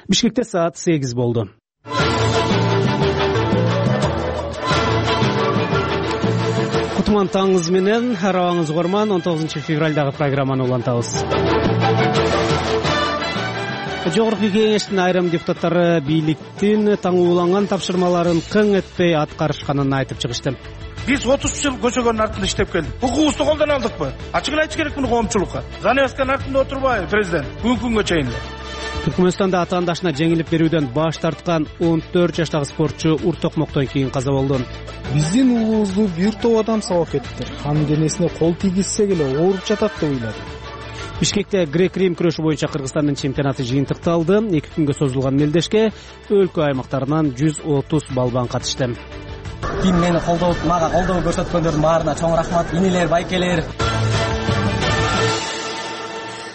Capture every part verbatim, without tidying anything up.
Бишкекте саат сегиз болду. Кутман таңыңыз менен арабаңыз угарман. он тогузунчу февралдагы программаны улантабыз. Жогорку кеңештин айрым депутаттары бийликтин таңууланган тапшырмаларын кың этпей аткарышканын айтып чыгышты. Биз отуз жыл көчөгөнүн артында иштеп келдик. Укугубузду колдон алдыкпы? Ачыгын айтыш керек муну коомчулукка. Занавесканын артында отурбайбы президент? Бүгүнкү күнгө чейин. Түркмөнстанда атаандашына жеңилип берүүдөн баш тарткан он төрт жаштагы спортчу ур токмоктон кийин каза болду. Биздин уулубузду бир топ адам сабап кетиптир. Анын денесине кол тийгизсек эле ооруп жатат деп ойлодум. Бишкекте грек-рим күрөшү боюнча Кыргызстандын чемпионаты жыйынтыкталды. эки күнгө созулган мелдешке өлкө аймактарынан жүз отуз балбан катышты. Ким мени колдоп, мага колдоо көрсөткөндөрдүн баарына чоң рахмат. Инилер, байкелер.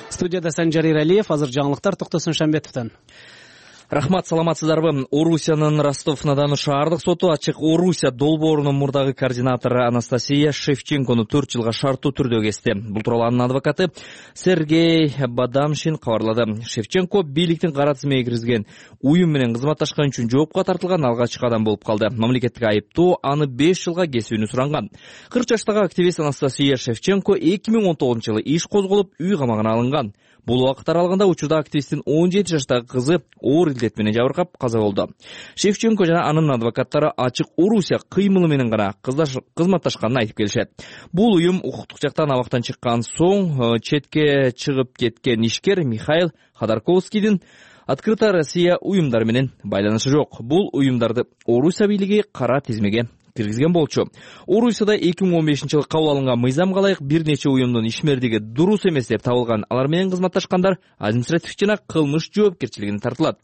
Студияда Санжар Иралиев, азыр жаңылыктар Токтосун Шамбетовдон. Рахмат, саламатсыздарбы? Орусиянын Ростов-на-Дону шаардык соту ачык Орусия долбоорунун мурдагы координатору Анастасия Шевченкону төрт жылга шарттуу түрдө кести. Бул тууралуу анын адвокаты Сергей Бадамшин кабарлады. Шевченко бийликтин кара тизмеге киргизген уюм менен кызматташкан үчүн жоопко тартылган алгачкы адам болуп калды. Мамлекеттик айыптоо аны беш жылга кесүүнү суранган. кырк жаштагы активист Анастасия Шевченко эки миң он тогузунчу жылы иш козголуп, үй камагына алынган. Бул убакыт аралыгында учурда активисттин он жети жаштагы кызы оор илдет менен жабыркап каза болду. Шевченко жана анын адвокаттары ачык Орусия кыймылы менен гана кызматташканын айтып келишет. Бул уюм укуктук жактан абактан чыккан соң четке чыгып кеткен ишкер Михаил Ходорковскийдин Открытая Россия уюмдары менен байланышы жок. Бул уюмдарды Орусия бийлиги кара тизмеге киргизген болчу. Орусияда эки миң он бешинчи жылы кабыл алынган мыйзамга ылайык бир нече уюмдун ишмердиги дурус эмес деп табылган. Алар менен кызматташкандар административдик жана кылмыш жоопкерчилигине тартылат.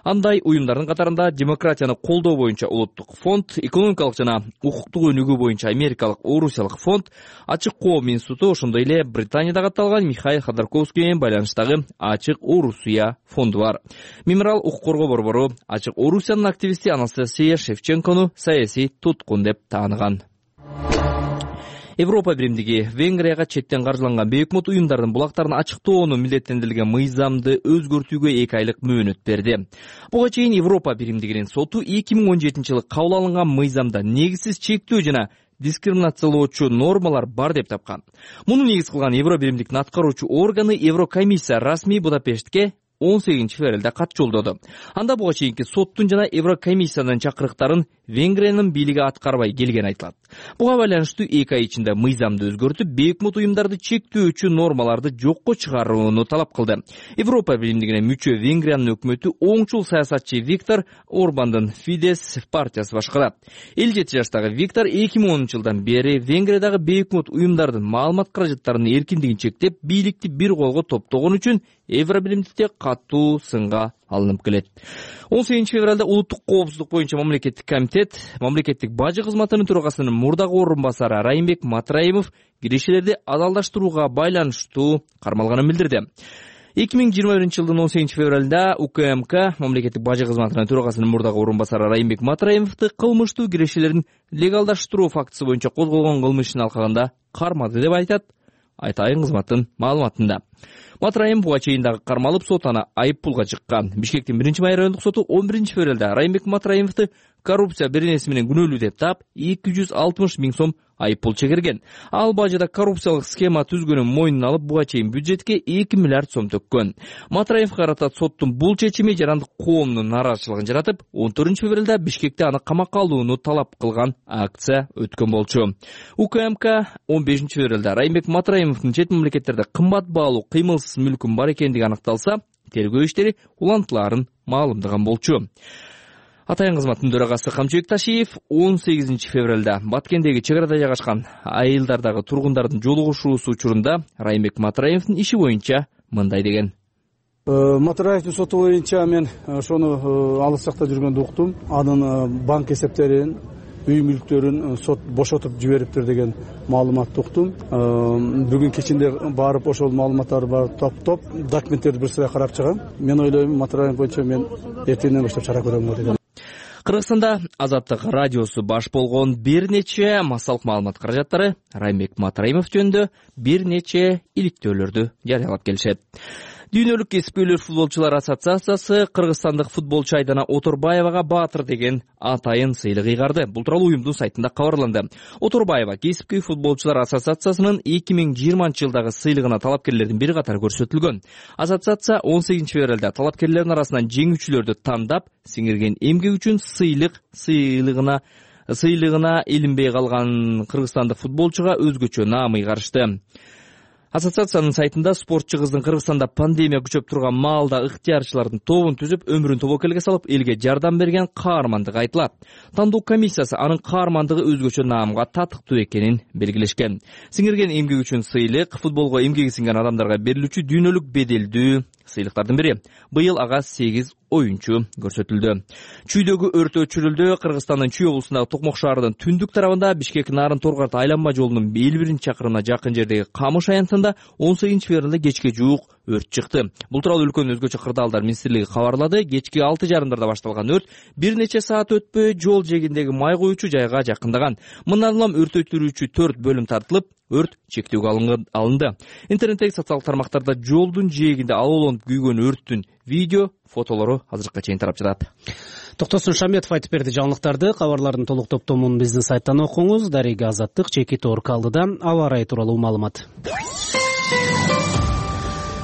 Андай уюмдардын катарында демократияны колдоо боюнча улуттук фонд, экономикалык жана укуктук өнүгүү боюнча америкалык Орусиялык фонд, Ачык Коом институту, ошондой эле Британияда катталган Михаил Ходорковский менен байланыштагы Ачык Орусия фонду бар. Мемориал укук коргоо борбору Ачык Орусиянын активисти Анастасия Шевченкону саясий туткун деп тааныган. Европа биримдиги Венгрияга четтен каржыланган бейөкмөт уюмдардын булактарын ачыктоону милдеттендирилген мыйзамды өзгөртүүгө эки айлык мөөнөт берди. Буга чейин Европа биримдигинин соту эки миң он жетинчи жылы кабыл алынган мыйзамда негизсиз чектөө жана дискриминациялоочу нормалар бар деп тапкан. Муну негиз кылган Евро биримдиктин аткаруучу органы Еврокомиссия расмий Будапештке он сегизинчи февралда кат жолдоду. Анда буга чейинки соттун жана Еврокомиссиянын чакырыктарын Венгриянын бийлиги аткарбай келгени айтылат. Буга байланыштуу эки ай ичинде мыйзамды өзгөртүп, бейөкмөт уюмдарды чектөөчү нормаларды жокко чыгарууну талап кылды. Европа биримдигине мүчө Венгриянын өкмөтү оңчул саясатчы Виктор Орбандын Фидес партиясы башкарат. элүү жети жаштагы Виктор эки миң онунчу жылдан бери Венгриядагы бейөкмөт уюмдардын маалымат каражаттарынын эркиндигин чектеп, бийликти бир колго топтогон үчүн Евро биримдикте катуу сынга алынып келет. он сегизинчи февралда улуттук коопсуздук боюнча мамлекеттик комитет, мамлекеттик бажы кызматынын төрагасынын мурдагы орун басары Райымбек Матраимов кирешелерди адалдаштырууга байланыштуу кармалганын билдирди. эки миң жыйырма биринчи жылдын он сегизинчи февралда УКМК мамлекеттик бажы кызматынын төрагасынын мурдагы орун басары Райымбек Матраимовду кылмыштуу кирешелерин легалдаштыруу фактысы боюнча козголгон кылмыш ишин алкагында кармады деп айтат Айтайын кызматтын маалыматында. Матраим буга чейин дагы кармалып, сот аны айып пулга чыккан. Бишкектин биринчи май райондук соту он биринчи февралда Райымбек Матраимовду коррупция беренеси менен күнөөлүү деп таап, эки жүз алтымыш миң сом айып пул чегерген. Ал бажыда коррупциялык схема түзгөнүн мойнуна алып, буга чейин бюджетке эки миллиард сом төккөн. Матраимов карата соттун бул чечими жарандык коомдун нааразычылыгын жаратып, он төртүнчү февралда Бишкекте аны камакка алууну талап кылган акция өткөн болчу. УКМК он бешинчи февралда Райымбек Матраимовдун чет мамлекеттерде кымбат баалуу кыймылсыз мүлкүн бар экендиги аныкталса, тергөө иштери улантылаарын маалымдаган болчу. Атайын кызматтын төрагасы Камчыбек Ташиев он сегизинчи февралда Баткендеги чек арада жайгашкан айылдардагы тургундардын жолугушуусу учурунда Райымбек Матраимовдун иши боюнча мындай деген. Матраевдин соту боюнча мен ошону алыс жакта жүргөндө уктум. Анын банк эсептерин, үй мүлктөрүн сот бошотуп жибериптир деген маалыматты уктум. Бүгүн кечинде барып ошол маалыматтарды барып топтоп, документтерди бир сыра карап чыгам. Мен ойлойм, Матраев боюнча мен эртеңден баштап чара көрөм деген. Кыргызстанда Азаттык радиосу баш болгон бир нече массалык маалымат каражаттары Райымбек Матраимов жөнүндө бир нече иликтөөлөрдү жарыялап келишет. Дүйнөлүк кесипкөйлөр футболчулар ассоциациясы кыргызстандык футболчу Айдана Оторбаевага Баатыр деген атайын сыйлык ыйгарды. Бул тууралуу уюмдун сайтында кабарланды. Оторбаева кесипкөй футболчулар ассоциациясынын эки миң жыйырманчы жылдагы сыйлыгына талапкерлердин бир катары көрсөтүлгөн. Ассоциация он сегизинчи февралда талапкерлердин арасынан жеңүүчүлөрдү тандап, сиңирген эмгек үчүн сыйлык сыйлыгына сыйлыгына илинбей калган кыргызстандык футболчуга өзгөчө наам ыйгарышты. Ассоциациянын сайтында спортчу кыздын Кыргызстанда пандемия күчөп турган маалда ыктыярчылардын тобун түзүп, өмүрүн тобокелге салып, элге жардам берген каармандыгы айтылат. Тандоо комиссиясы анын каармандыгы өзгөчө наамга татыктуу экенин белгилешкен. Сиңирген эмгек үчүн сыйлык футболго эмгеги сиңген адамдарга берилүүчү дүйнөлүк беделдүү сыйлыктардын бири. Быйыл ага сегиз оюнчу көрсөтүлдү. Чүйдөгү өрт өчүрүлдү. Кыргызстандын Чүй облусундагы Токмок шаарынын түндүк тарабында Бишкек Нарын Торгарт айланма жолунун элүү биринчи чакырымына жакын жердеги Камыш аянтында он сегизинчи февралда кечке жуук өрт чыкты. Бул тууралуу өлкөнүн өзгөчө кырдаалдар министрлиги кабарлады. Кечки алты жарымдарда башталган өрт бир нече саат өтпөй жол жээгиндеги май куючу жайга жакындаган. Мындан улам өрт өчүрүүчү төрт бөлүм тартылып, өрт чектөөгө алынды. Интернеттеги социалдык тармактарда жолдун жээгинде алоолонуп күйгөн өрттүн видео, фотолору азыркыга чейин тарап жатат. Токтосун Шаметов айтып берди жаңылыктарды. Кабарлардын толук топтомун биздин сайттан окуңуз. Дарега Азаттык чеки Торк алдыда аба ырайы тууралуу маалымат.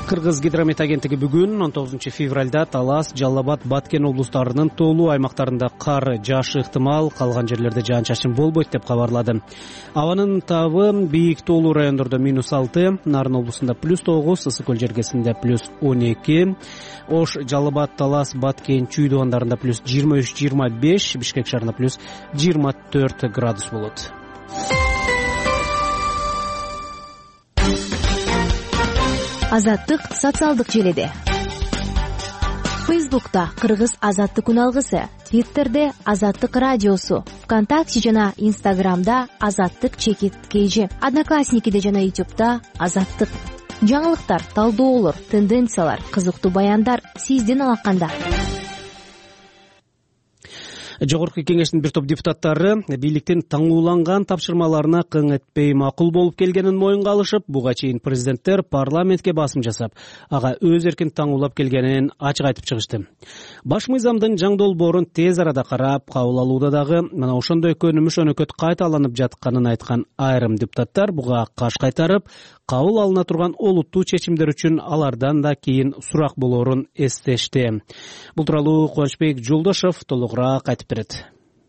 Кыргыз гидромет агенттиги бүгүн он тогузунчу февралда Талас, Жалал Абад, Баткен облустарынын тоолуу аймактарында кар жаашы ыктымал, калган жерлерде жаан-чачын болбойт деп кабарлады. Абанын табы бийик тоолуу райондордо минус алты, Нарын облусунда плюс тогуз, Ысык көл жергесинде плюс он эки, Ош, Жалал Абад, Талас, Баткен, Чүй дубандарында плюс жыйырма үч жыйырма беш, Бишкек шаарында плюс жыйырма төрт градус болот. Азаттык социалдык желиде. Фейсбукта Кыргыз Азаттык күн алгысы, Твиттерде Азаттык радиосу, ВКонтакте жана Инстаграмда Азаттык чекит кейжи, Одноклассникиде жана Ютубта Азаттык. Жаңылыктар, талдоолор, тенденциялар, кызыктуу баяндар сиздин алаканда. Жогорку кеңештин бир топ депутаттары бийликтин таңууланган тапшырмаларына кың этпей макул болуп келгенин моюнга алышып, буга чейин президенттер парламентке басым жасап, ага өз эркин таңуулап келгенин ачык айтып чыгышты. Баш мыйзамдын жаңы долбоорун тез арада карап, кабыл алууда дагы мына ошондой көнүмүш өнөкөт кайталанып жатканын айткан айрым депутаттар буга каш кайтарып, кабыл алына турган олуттуу чечимдер үчүн алардан да кийин сурак болоорун эстешти. Бул тууралуу Кубанычбек Жолдошов толугураак айтып берет.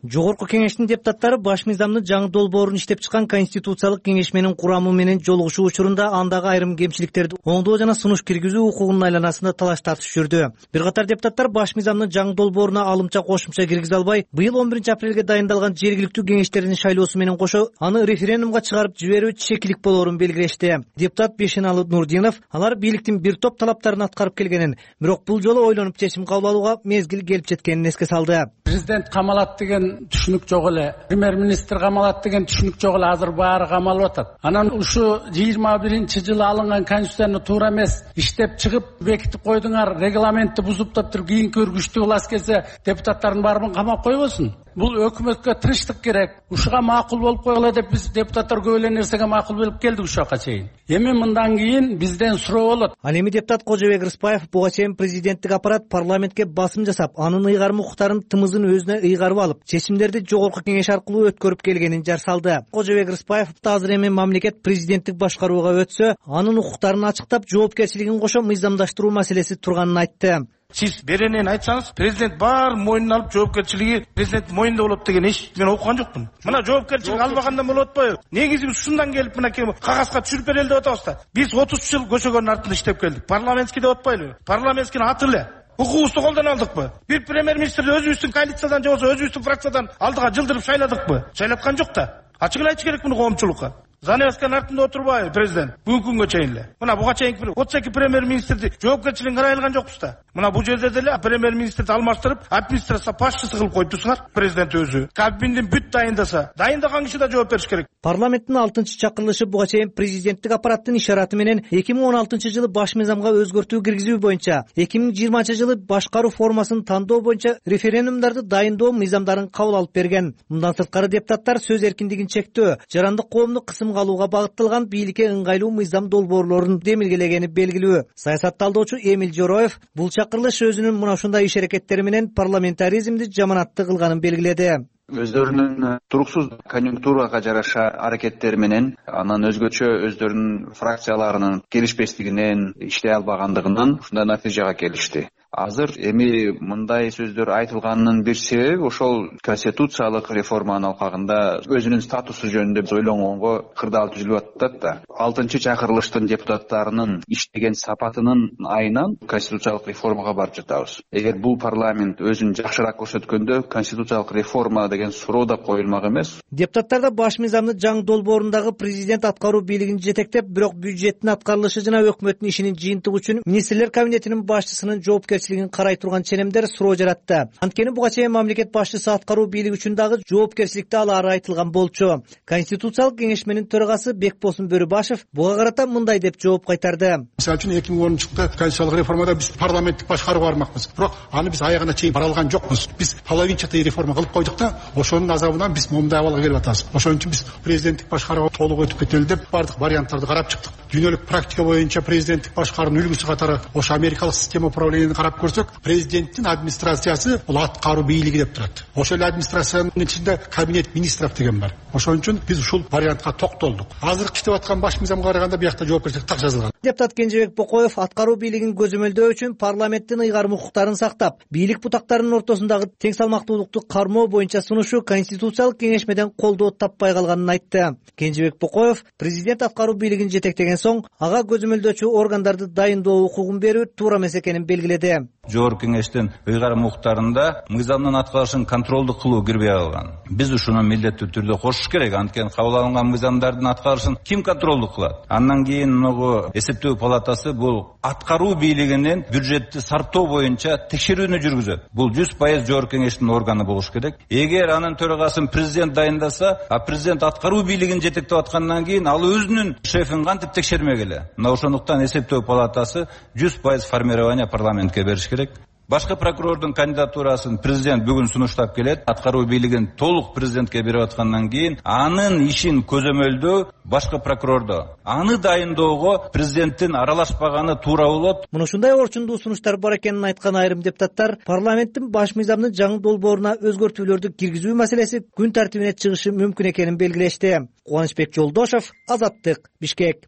Жогорку кеңештин депутаттары баш мыйзамдын жаңы долбоорун иштеп чыккан Конституциялык кеңешменин курамы менен жолугушуу учурунда андагы айрым кемчиликтерди оңдоо жана сунуш киргизүү укугунун айланасында талаш тартыш жүрдү. Бир катар депутаттар баш мыйзамдын жаңы долбооруна алымча кошумча киргизе албай, быйыл он биринчи апрелге дайындалган жергиликтүү кеңештердин шайлоосу менен кошо аны референдумга чыгарып жиберүү чекилик болоорун белгилешти. Депутат Бешеналы Нурдинов алар бийликтин бир топ талаптарын аткарып келгенин, бирок бул жолу ойлонуп чечим кабыл алууга мезгил келип жеткенин эске салды. Президент камалат деген түшүнүк жок эле, премьер-министр камалат деген түшүнүк жок эле, азыр баары камалып атат. Анан ушу жыйырма биринчи жылы алынган конституцияны туура эмес иштеп чыгып бекитип койдуңар, регламентти бузуп туруп кийинки үргүчтүү власть келсе депутаттардын баарын камап койбосун. Бул өкмөткө тынчтык керек. Ушуга макул болуп койгула деп биз депутаттар көп эле нерсеге макул болуп келдик ушуга чейин. Эми мындан кийин бизден суроо болот. Ал эми депутат Кожобек Рыспаев буга чейин президенттик аппарат парламентке басым жасап, анын ыйгарым укуктарын тымызын өзүнө ыйгарып алып, чечимдерди жогорку кеңеш аркылуу өткөрүп келгенин жар салды. Кожобек Рыспаев азыр эми мамлекет президенттик башкарууга өтсө, анын укуктарын ачыктап, жоопкерчилигин кошо мыйзамдаштыруу маселеси турганын айтты. Сиз беренен айтсаңыз, президент бар мойнуна алып жоопкерчилиги президент мойнунда болот деген эч мен окуган жокмун. Мына жоопкерчилик албагандан болот атпайбы? Негизи ушундан келип мына кагазга түшүрүп берели деп атабыз да. Биз отуз жыл көчөгөнүн артында иштеп келдик. Парламентский деп атпайлыбы? Парламентскийни аты эле. Укугубузду колдон алдыкпы? Бир премьер-министрди өзүбүздүн коалициядан же болбосо өзүбүздүн фракциядан алдыга жылдырып шайладыкпы? Шайлаткан жок да. Ачык эле айтыш керек муну коомчулукка. Заневсканын артында отурбайбы президент? Бүгүнкү күнгө чейин эле. Мына буга чейинки отуз эки премьер-министрди жоопкерчилигин карай алган жокпуз да. Мына бул жерде деле премьер-министрди алмаштырып, администрация башчысы кылып коюптусуңар. Президент өзү Кабминдин бүт дайындаса, дайындаган киши да жооп бериш керек. Парламенттин алтынчы чакырылышы буга чейин президенттик аппараттын ишараты менен эки миң он алтынчы жылы баш мыйзамга өзгөртүү киргизүү боюнча, эки миң жыйырманчы жылы башкаруу формасын тандоо боюнча референдумдарды дайындоо мыйзамдарын кабыл алып берген. Мындан сырткары депутаттар сөз эркиндигин чектөө, жарандык коомду кысым тартымга алууга багытталган бийликке ыңгайлуу мыйзам долбоорлорун демилгелегени белгилүү. Саясат талдоочу Эмиль Жороев бул чакырылыш өзүнүн мына ушундай иш аракеттери менен парламентаризмди жаманаттуу кылганын белгиледи. Өздөрүнүн туруксуз конъюнктурага жараша аракеттери менен, анан өзгөчө өздөрүнүн фракцияларынын келишпестигинен, иштей албагандыгынан ушундай натыйжага келишти. Азыр эми мындай сөздөр айтылганынын бир себеби ошол конституциялык реформанын алкагында өзүнүн статусу жөнүндө ойлонгонго кырдаал түзүлүп атат да. алтынчы чакырылыштын депутаттарынын иштеген сапатынын айынан конституциялык реформага барып жатабыз. Эгер бул парламент өзүн жакшыраак көрсөткөндө конституциялык реформа деген суроо да коюлмак эмес. Депутаттар да баш мыйзамды жаңы долбоорундагы президент аткаруу бийлигин жетектеп, бирок бюджеттин аткарылышы жана өкмөттүн ишинин жыйынтыгы үчүн министрлер кабинетинин башчысынын жоопкерчилигин карай турган ченемдер суроо жаратты. Анткени буга чейин мамлекет башчысы аткаруу бийлиги үчүн дагы жоопкерчиликти алары айтылган болчу. Конституциялык кеңешменин төрагасы Бекбосун Бөрүбашев буга карата мындай деп жооп кайтарды. Мисалы үчүн эки миң онунчу жылда конституциялык реформада биз парламенттик башкарууга бармакпыз. Бирок аны биз аягына чейин бара алган жокпуз. Биз половинчатый реформа кылып койдук да, ошонун азабынан биз момундай абалга келип атабыз. Ошон үчүн биз президенттик башкарууга толук өтүп кетели деп бардык варианттарды карап чыктык. Дүйнөлүк практика боюнча президенттик башкаруунун үлгүсү катары ошо америкалык система управлениени карап көрсөк, президенттин администрациясы бул аткаруу бийлиги деп турат. Ошол администрациянын ичинде кабинет министров деген бар. Ошон үчүн биз ушул вариантка токтолдук. Азыр иштеп аткан баш мыйзамга караганда биякта жоопкерчилик так жазылган. Депутат Кенжебек Бокоев аткаруу бийлигин көзөмөлдөө үчүн парламенттин ыйгарым укуктарын сактап, бийлик бутактарынын ортосундагы тең салмактуулукту кармоо боюнча сунушу конституциялык кеңешмеден колдоо таппай калганын айтты. Кенжебек Бокоев президент аткаруу бийлигин жетектеген соң ага көзөмөлдөөчү органдарды дайындоо укугун берүү туура эмес экенин белгиледи. Жогорку кеңештин ыйгарым укуктарында мыйзамдын аткарышын контролдук кылуу кирбей калган. Биз ушуну милдеттүү түрдө кошуш керек. Анткени кабыл алынган мыйзамдардын аткарышын ким контролдук кылат? Андан кийин муну эсептөө палатасы бул аткаруу бийлигинин бюджетти сарптоо боюнча текшерүүнү жүргүзөт. Бул жүз пайыз жогорку кеңештин органы болуш керек. Эгер анын төрагасын президент дайындаса, а президент аткаруу бийлигин жетектеп аткандан кийин ал өзүнүн шефин кантип текшермек эле? Мына ошондуктан эсептөө палатасы жүз пайыз формирование парламентке бериш керек. Башкы прокурордун кандидатурасын президент бүгүн сунуштап келет. Аткаруу бийлигин толук президентке берип аткандан кийин анын ишин көзөмөлдөө башкы прокурордо. Аны дайындоого президенттин аралашпаганы туура болот. Мына ушундай орчундуу сунуштар бар экенин айткан айрым депутаттар парламенттин баш мыйзамдын жаңы долбооруна өзгөртүүлөрдү киргизүү маселеси күн тартибине чыгышы мүмкүн экенин белгилешти. Кубанычбек Жолдошов, Азаттык, Бишкек.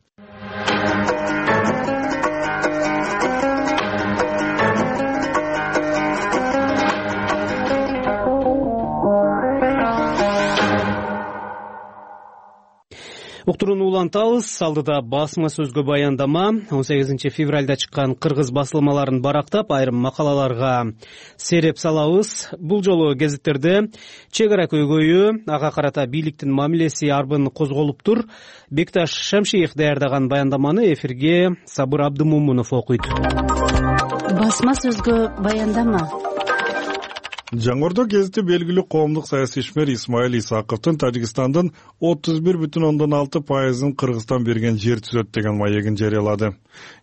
Уктурууну улантабыз. Алдыда басма сөзгө баяндама он сегизинчи февралда чыккан кыргыз басылмаларын барактап, айрым макалаларга сереп салабыз. Бул жолу гезиттерде чек ара көйгөйү, ага карата бийликтин мамилеси арбын козголуптур. Бекташ Шамшиев даярдаган баяндаманы эфирге Сабыр Абдымомунов окуйт. Басма сөзгө баяндама. Жаңгордо гезити белгилүү коомдук саясий ишмер Исмаил Исаковдун Тажикстандын отуз бир бүтүн ондон алты пайызын Кыргызстан берген жер түзөт деген маегин жарыялады.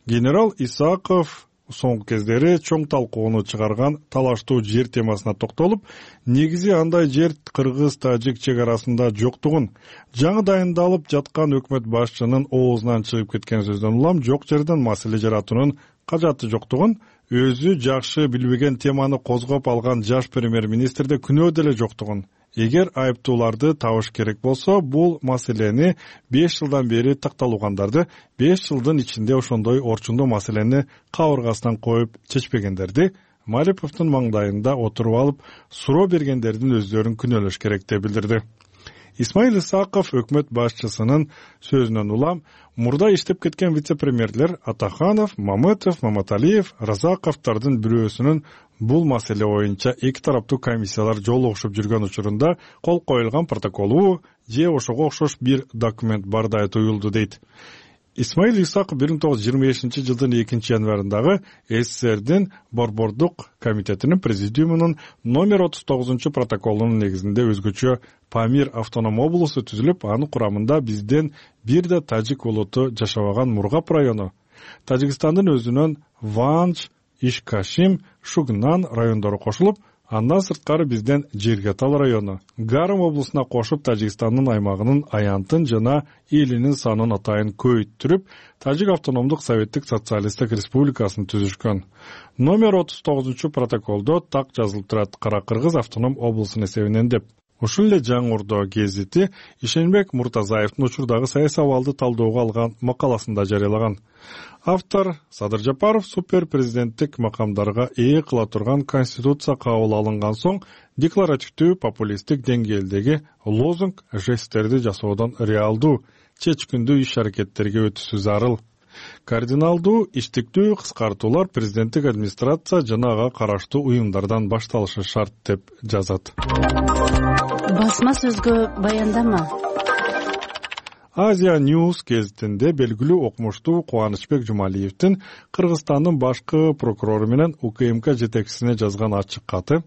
Генерал Исаков соңку кездери чоң талкууну чыгарган талаштуу жер темасына токтолуп, негизи андай жер кыргыз-тажик чек арасында жоктугун, жаңы дайындалып жаткан өкмөт башчынын оозунан чыгып кеткен сөздөн улам жок жерден маселе жаратуунун кажаты жоктугун, өзү жакшы билбеген теманы козгоп алган жаш премьер-министрде күнөө деле жоктугун, эгер айыптууларды табыш керек болсо, бул маселени беш жылдан бери такталгандарды беш жылдын ичинде ошондой орчундуу маселени кабыргасынан коюп чечпегендерди Малиповдун маңдайында отуруп алып, суроо бергендердин өздөрүн күнөөлөш керек деп билдирди. Исмаил Исаков өкмөт башчысынын сөзүнөн улам мурда иштеп кеткен вице-премьерлер Атаханов, Мамытов, Маматалиев, Разаковдордун бирөөсүнүн бул маселе боюнча эки тараптуу комиссиялар жолугушуп жүргөн учурунда кол коюлган протоколу же ошого окшош бир документ бардай туюлду дейт. Исмаил Исаков бир миң тогуз жүз жыйырма бешинчи жылдын экинчи январындагы СССРдин Борбордук комитетинин президиумунун номер отуз тогузунчу протоколунун негизинде өзгөчө Памир автоном облусу түзүлүп, анын курамында бизден бир да тажик улуту жашабаган Мургап району, Тажикстандын өзүнөн Ванж, Ишкашим, Шугнан райондору кошулуп, Андан сырткары бизден Жергетал району, Гарым облусуна кошуп Тажикстандын аймагынын аянтын жана элинин санын атайын көбөйттүрүп, Тажик автономдук советтик социалисттик республикасын түзүшкөн. Номер отуз тогузунчу протоколдо так жазылып турат: Кара Кыргыз автоном облусунун эсебинен деп. Ушул эле Жаңырдоо гезити Ишенбек Муртазаевдин учурдагы саясий абалды талоого алган макаласында жарыялаган. Автор Садыр Жапаров супер президенттик макамдарга ээ кыла турган конституция кабыл алынган соң декларативдүү популисттик деңгээлдеги лозунг жесттерди жасоодон реалдуу, чечкиндүү иш-аракеттерге өтүшү зарыл. Кардиналдуу, иштиктүү кыскартуулар президенттик администрация жана ага караштуу уюмдардан башталышы шарт деп жазат. Басма сөзгө баяндама. Азия News гезитинде белгилүү окумуштуу Кубанычбек Жумалиевдин Кыргызстандын башкы прокурору менен УКМК жетекчисине жазган ачык каты,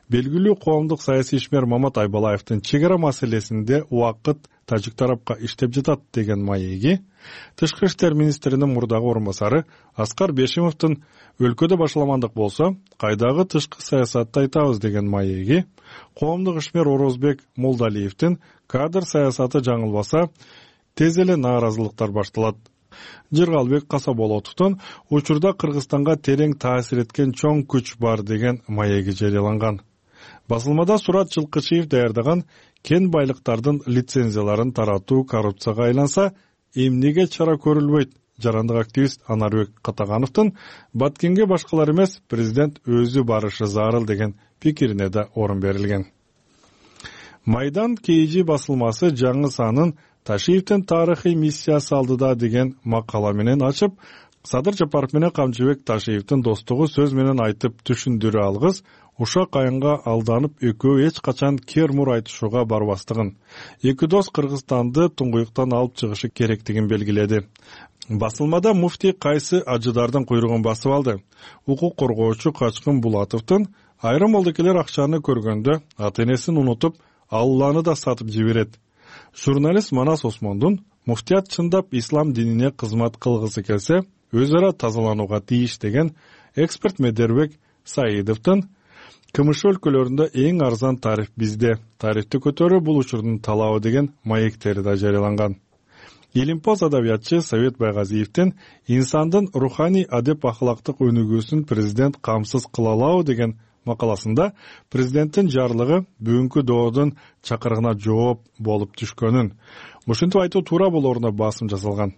белгилүү коомдук саясий ишмер Мамат Айбалаевдин чек ара маселесинде убакыт тажик тарапка иштеп жатат деген маеги, Тышкы иштер министринин мурдагы орун басары Аскар Бешимовдун өлкөдө башаламандык болсо, кайдагы тышкы саясатты айтабыз деген маеги, коомдук ишмер Орозбек Молдалиевдин кадр саясаты жаңылбаса, тез эле нааразылыктар башталат. Жыргалбек Касаболотовдун учурда Кыргызстанга терең таасир эткен чоң күч бар деген маеги жарыяланган. Басылмада Сурат Жылкычиев даярдаган кен байлыктардын лицензияларын таратуу коррупцияга айланса, эмнеге чара көрүлбөйт? Жарандык активист Анарбек Катагановдун Баткенге башкалар эмес, президент өзү барышы зарыл деген пикирине да орун берилген. Майдан Кейжи басылмасы жаңы санын Ташиевдин тарыхый миссиясы алдыда деген макала менен ачып, Садыр Жапаров менен Камчыбек Ташиевдин достугу сөз менен айтып түшүндүрө алгыс, ушак айынга алданып экөө эч качан кермур айтышууга барбастыгын, эки дос Кыргызстанды туңгуюктан алып чыгышы керектигин белгиледи. Басылмада муфтий кайсы ажыдардын куйругун басып алды. Укук коргоочу Качкын Булатовдун айрым молдокелер акчаны көргөндө ата-энесин унутуп, Алланы да сатып жиберет. Журналист Манас Осмондун муфтият чындап ислам динине кызмат кылгысы келсе, өз ара тазаланууга тийиш деген эксперт Медербек Саидовдун КМШ өлкөлөрүндө эң арзан тариф бизде, тарифти көтөрүү бул учурдун талабы деген маектери да жарыяланган. Илимпоз адабиятчы Совет Байгазиевдин инсандын руханий адеп ахлактык өнүгүүсүн президент камсыз кыла алабы деген макаласында президенттин жарлыгы бүгүнкү доодун чакырыгына жооп болуп түшкөнүн, ушинтип айтуу туура болоруна басым жасалган.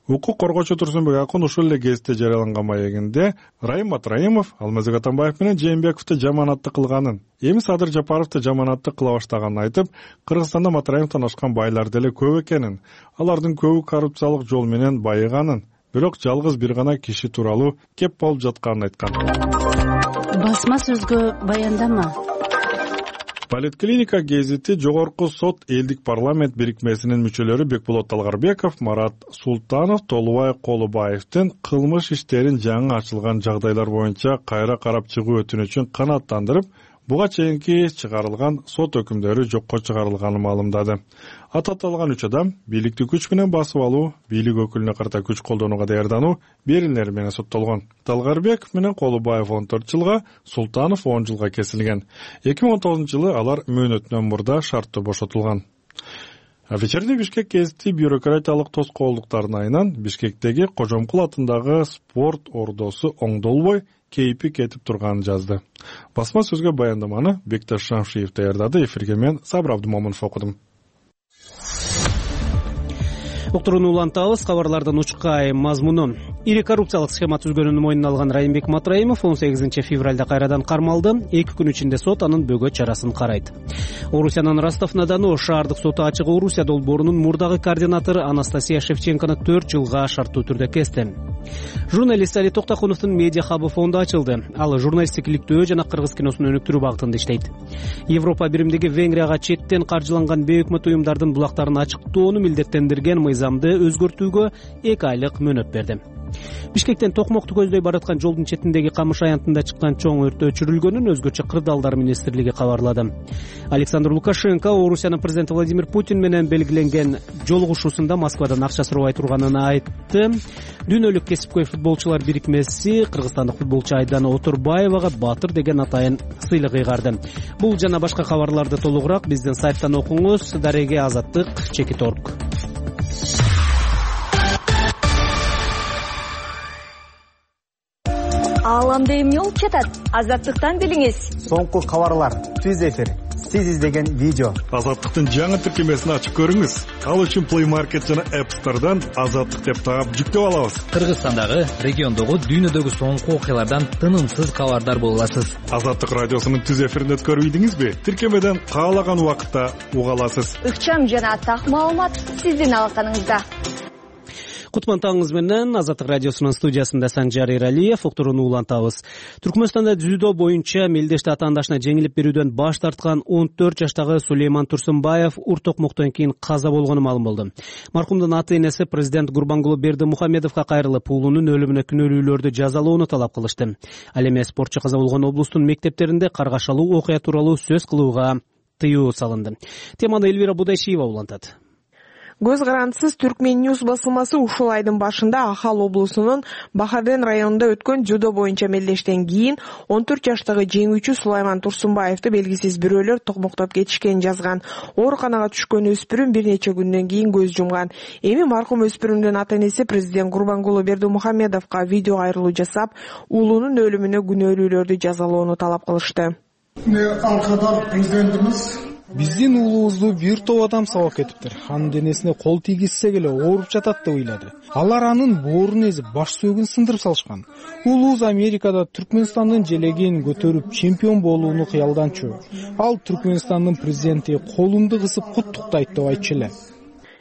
Укук коргоочу Турсунбек Акун ушул эле гезитте жарыяланган маегинде Райым Матраимов Алмазбек Атамбаев менен Жээнбековду жаманатты кылганын, эми Садыр Жапаровду жаманатты кыла баштаганын айтып, Кыргызстанда Матраимовдон ашкан байлар деле көп экенин, алардын көбү коррупциялык жол менен байыганын, бирок жалгыз бир гана киши тууралуу кеп болуп жатканын айткан. Басма сөзгө баяндама. Политклиника гезити жогорку сот элдик парламент бирикмесинин мүчөлөрү Бекболот Талгарбеков, Марат Султанов, Толубай Колубаевдин кылмыш иштерин жаңы ачылган жагдайлар боюнча кайра карап чыгуу өтүнүчүн канааттандырып, буга чейинки чыгарылган сот өкүмдөрү жокко чыгарылганын маалымдады. Аталган үч адам бийликти күч менен басып алуу, бийлик өкүлүнө карата күч колдонууга даярдануу берилери менен соттолгон. Талгарбеков менен Колубаев он төрт жылга, Султанов он жылга кесилген. эки миң он тогузунчу жылы алар мөөнөтүнөн мурда шарттуу бошотулган. Вечерний Бишкек гезити бюрократиялык тоскоолдуктардын айынан Бишкектеги Кожомкул атындагы спорт ордосу оңдолбой кейпи кетип турганын жазды. Басма сөзгө баяндаманы Бекташ Шамшиев даярдады, эфирге мен Сабыр Абдымомунов окудум. Уктурууну улантабыз, кабарлардын учкай мазмуну. Ири коррупциялык схема түзгөнүн мойнуна алган Райымбек Матраимов он сегизинчи февралда кайрадан кармалды. эки күн ичинде сот анын бөгөт чарасын карайт. Орусиянын Ростов-на-Дону шаардык соту ачык Орусия долбоорунун мурдагы координатору Анастасия Шевченкону төрт жылга шарттуу түрдө кести. Журналист Али Токтакуновдун медиа хабы фонду ачылды. Ал журналисттик иликтөө жана кыргыз киносун өнүктүрүү багытында иштейт. Европа биримдиги Венгрияга четтен каржыланган бейөкмөт уюмдардын булактарын ачыктоону милдеттендирген мыйзамды өзгөртүүгө эки айлык мөөнөт берди. Бишкектен Токмокту көздөй бараткан жолдун четиндеги камыш аянтында чыккан чоң өрт өчүрүлгөнүн өзгөчө кырдаалдар министрлиги кабарлады. Александр Лукашенко Орусиянын президенти Владимир Путин менен белгиленген жолугушуусунда Москвадан акча сурабай турганын айтты. Дүйнөлүк кесипкөй футболчулар бирикмеси кыргызстандык футболчу Айдана Отурбаевага Батыр деген атайын сыйлык ыйгарды. Бул жана башка кабарларды толугураак биздин сайттан окуңуз. Дареге азаттык чекит точка орг. Ааламда эмне болуп жатат? Азаттыктан билиңиз. Соңку кабарлар, түз эфир, сиз издеген видео. Азаттыктын жаңы тиркемесин ачып көрүңүз. Ал үчүн Play Market жана App Store'дан Азаттык деп таап жүктөп алабыз. Кыргызстандагы, региондогу, дүйнөдөгү соңку окуялардан тынымсыз кабардар боло аласыз. Азаттык радиосунун түз эфирин өткөрүп ийдиңизби? Тиркемеден каалаган убакытта уга аласыз. Ыкчам жана так маалымат сиздин алаканыңызда. Кутман таңыңыз менен Азаттык радиосунун студиясында Санжар Эралиев уктурууну улантабыз. Түркмөнстанда дзюдо боюнча мелдешти атаандашына жеңилип берүүдөн баш тарткан он төрт жаштагы Сулейман Турсунбаев ур токмоктон кийин каза болгону маалым болду. Маркумдун ата энеси президент Гурбангулы Бердимухамедовго кайрылып, уулунун өлүмүнө күнөөлүүлөрдү жазалоону талап кылышты. Ал эми спортчу каза болгон облустун мектептеринде каргашалуу окуя тууралуу сөз кылууга тыюу салынды. Теманы Элвира Будайшиева улантат. Көз карандысыз Түркмен Ньюс басылмасы ушул айдын башында Ахал облусунун Бахарден районунда өткөн дзюдо боюнча мелдештен кийин он төрт жаштагы жеңүүчү Сулайман Турсунбаевди белгисиз бирөөлөр токмоктоп кетишкенин жазган. Ооруканага түшкөн өспүрүм бир нече күндөн кийин көз жумган. Эми маркум өспүрүмдүн ата энеси президент Гурбангулы Бердимухамедовго видео кайрылуу жасап, уулунун өлүмүнө күнөөлүүлөрдү жазалоону талап кылышты. Алкадар президентimiz биздин уулубузду бир топ адам сабап кетиптир. Анын денесине кол тийгизсек эле ооруп жатат деп ыйлады. Алар анын боорун эзип, баш сөөгүн сындырып салышкан. Уулубуз Америкада Түркмөнстандын желегин көтөрүп чемпион болууну кыялданчу. Ал Түркмөнстандын президенти колумду кысып куттуктайт деп айтчу эле.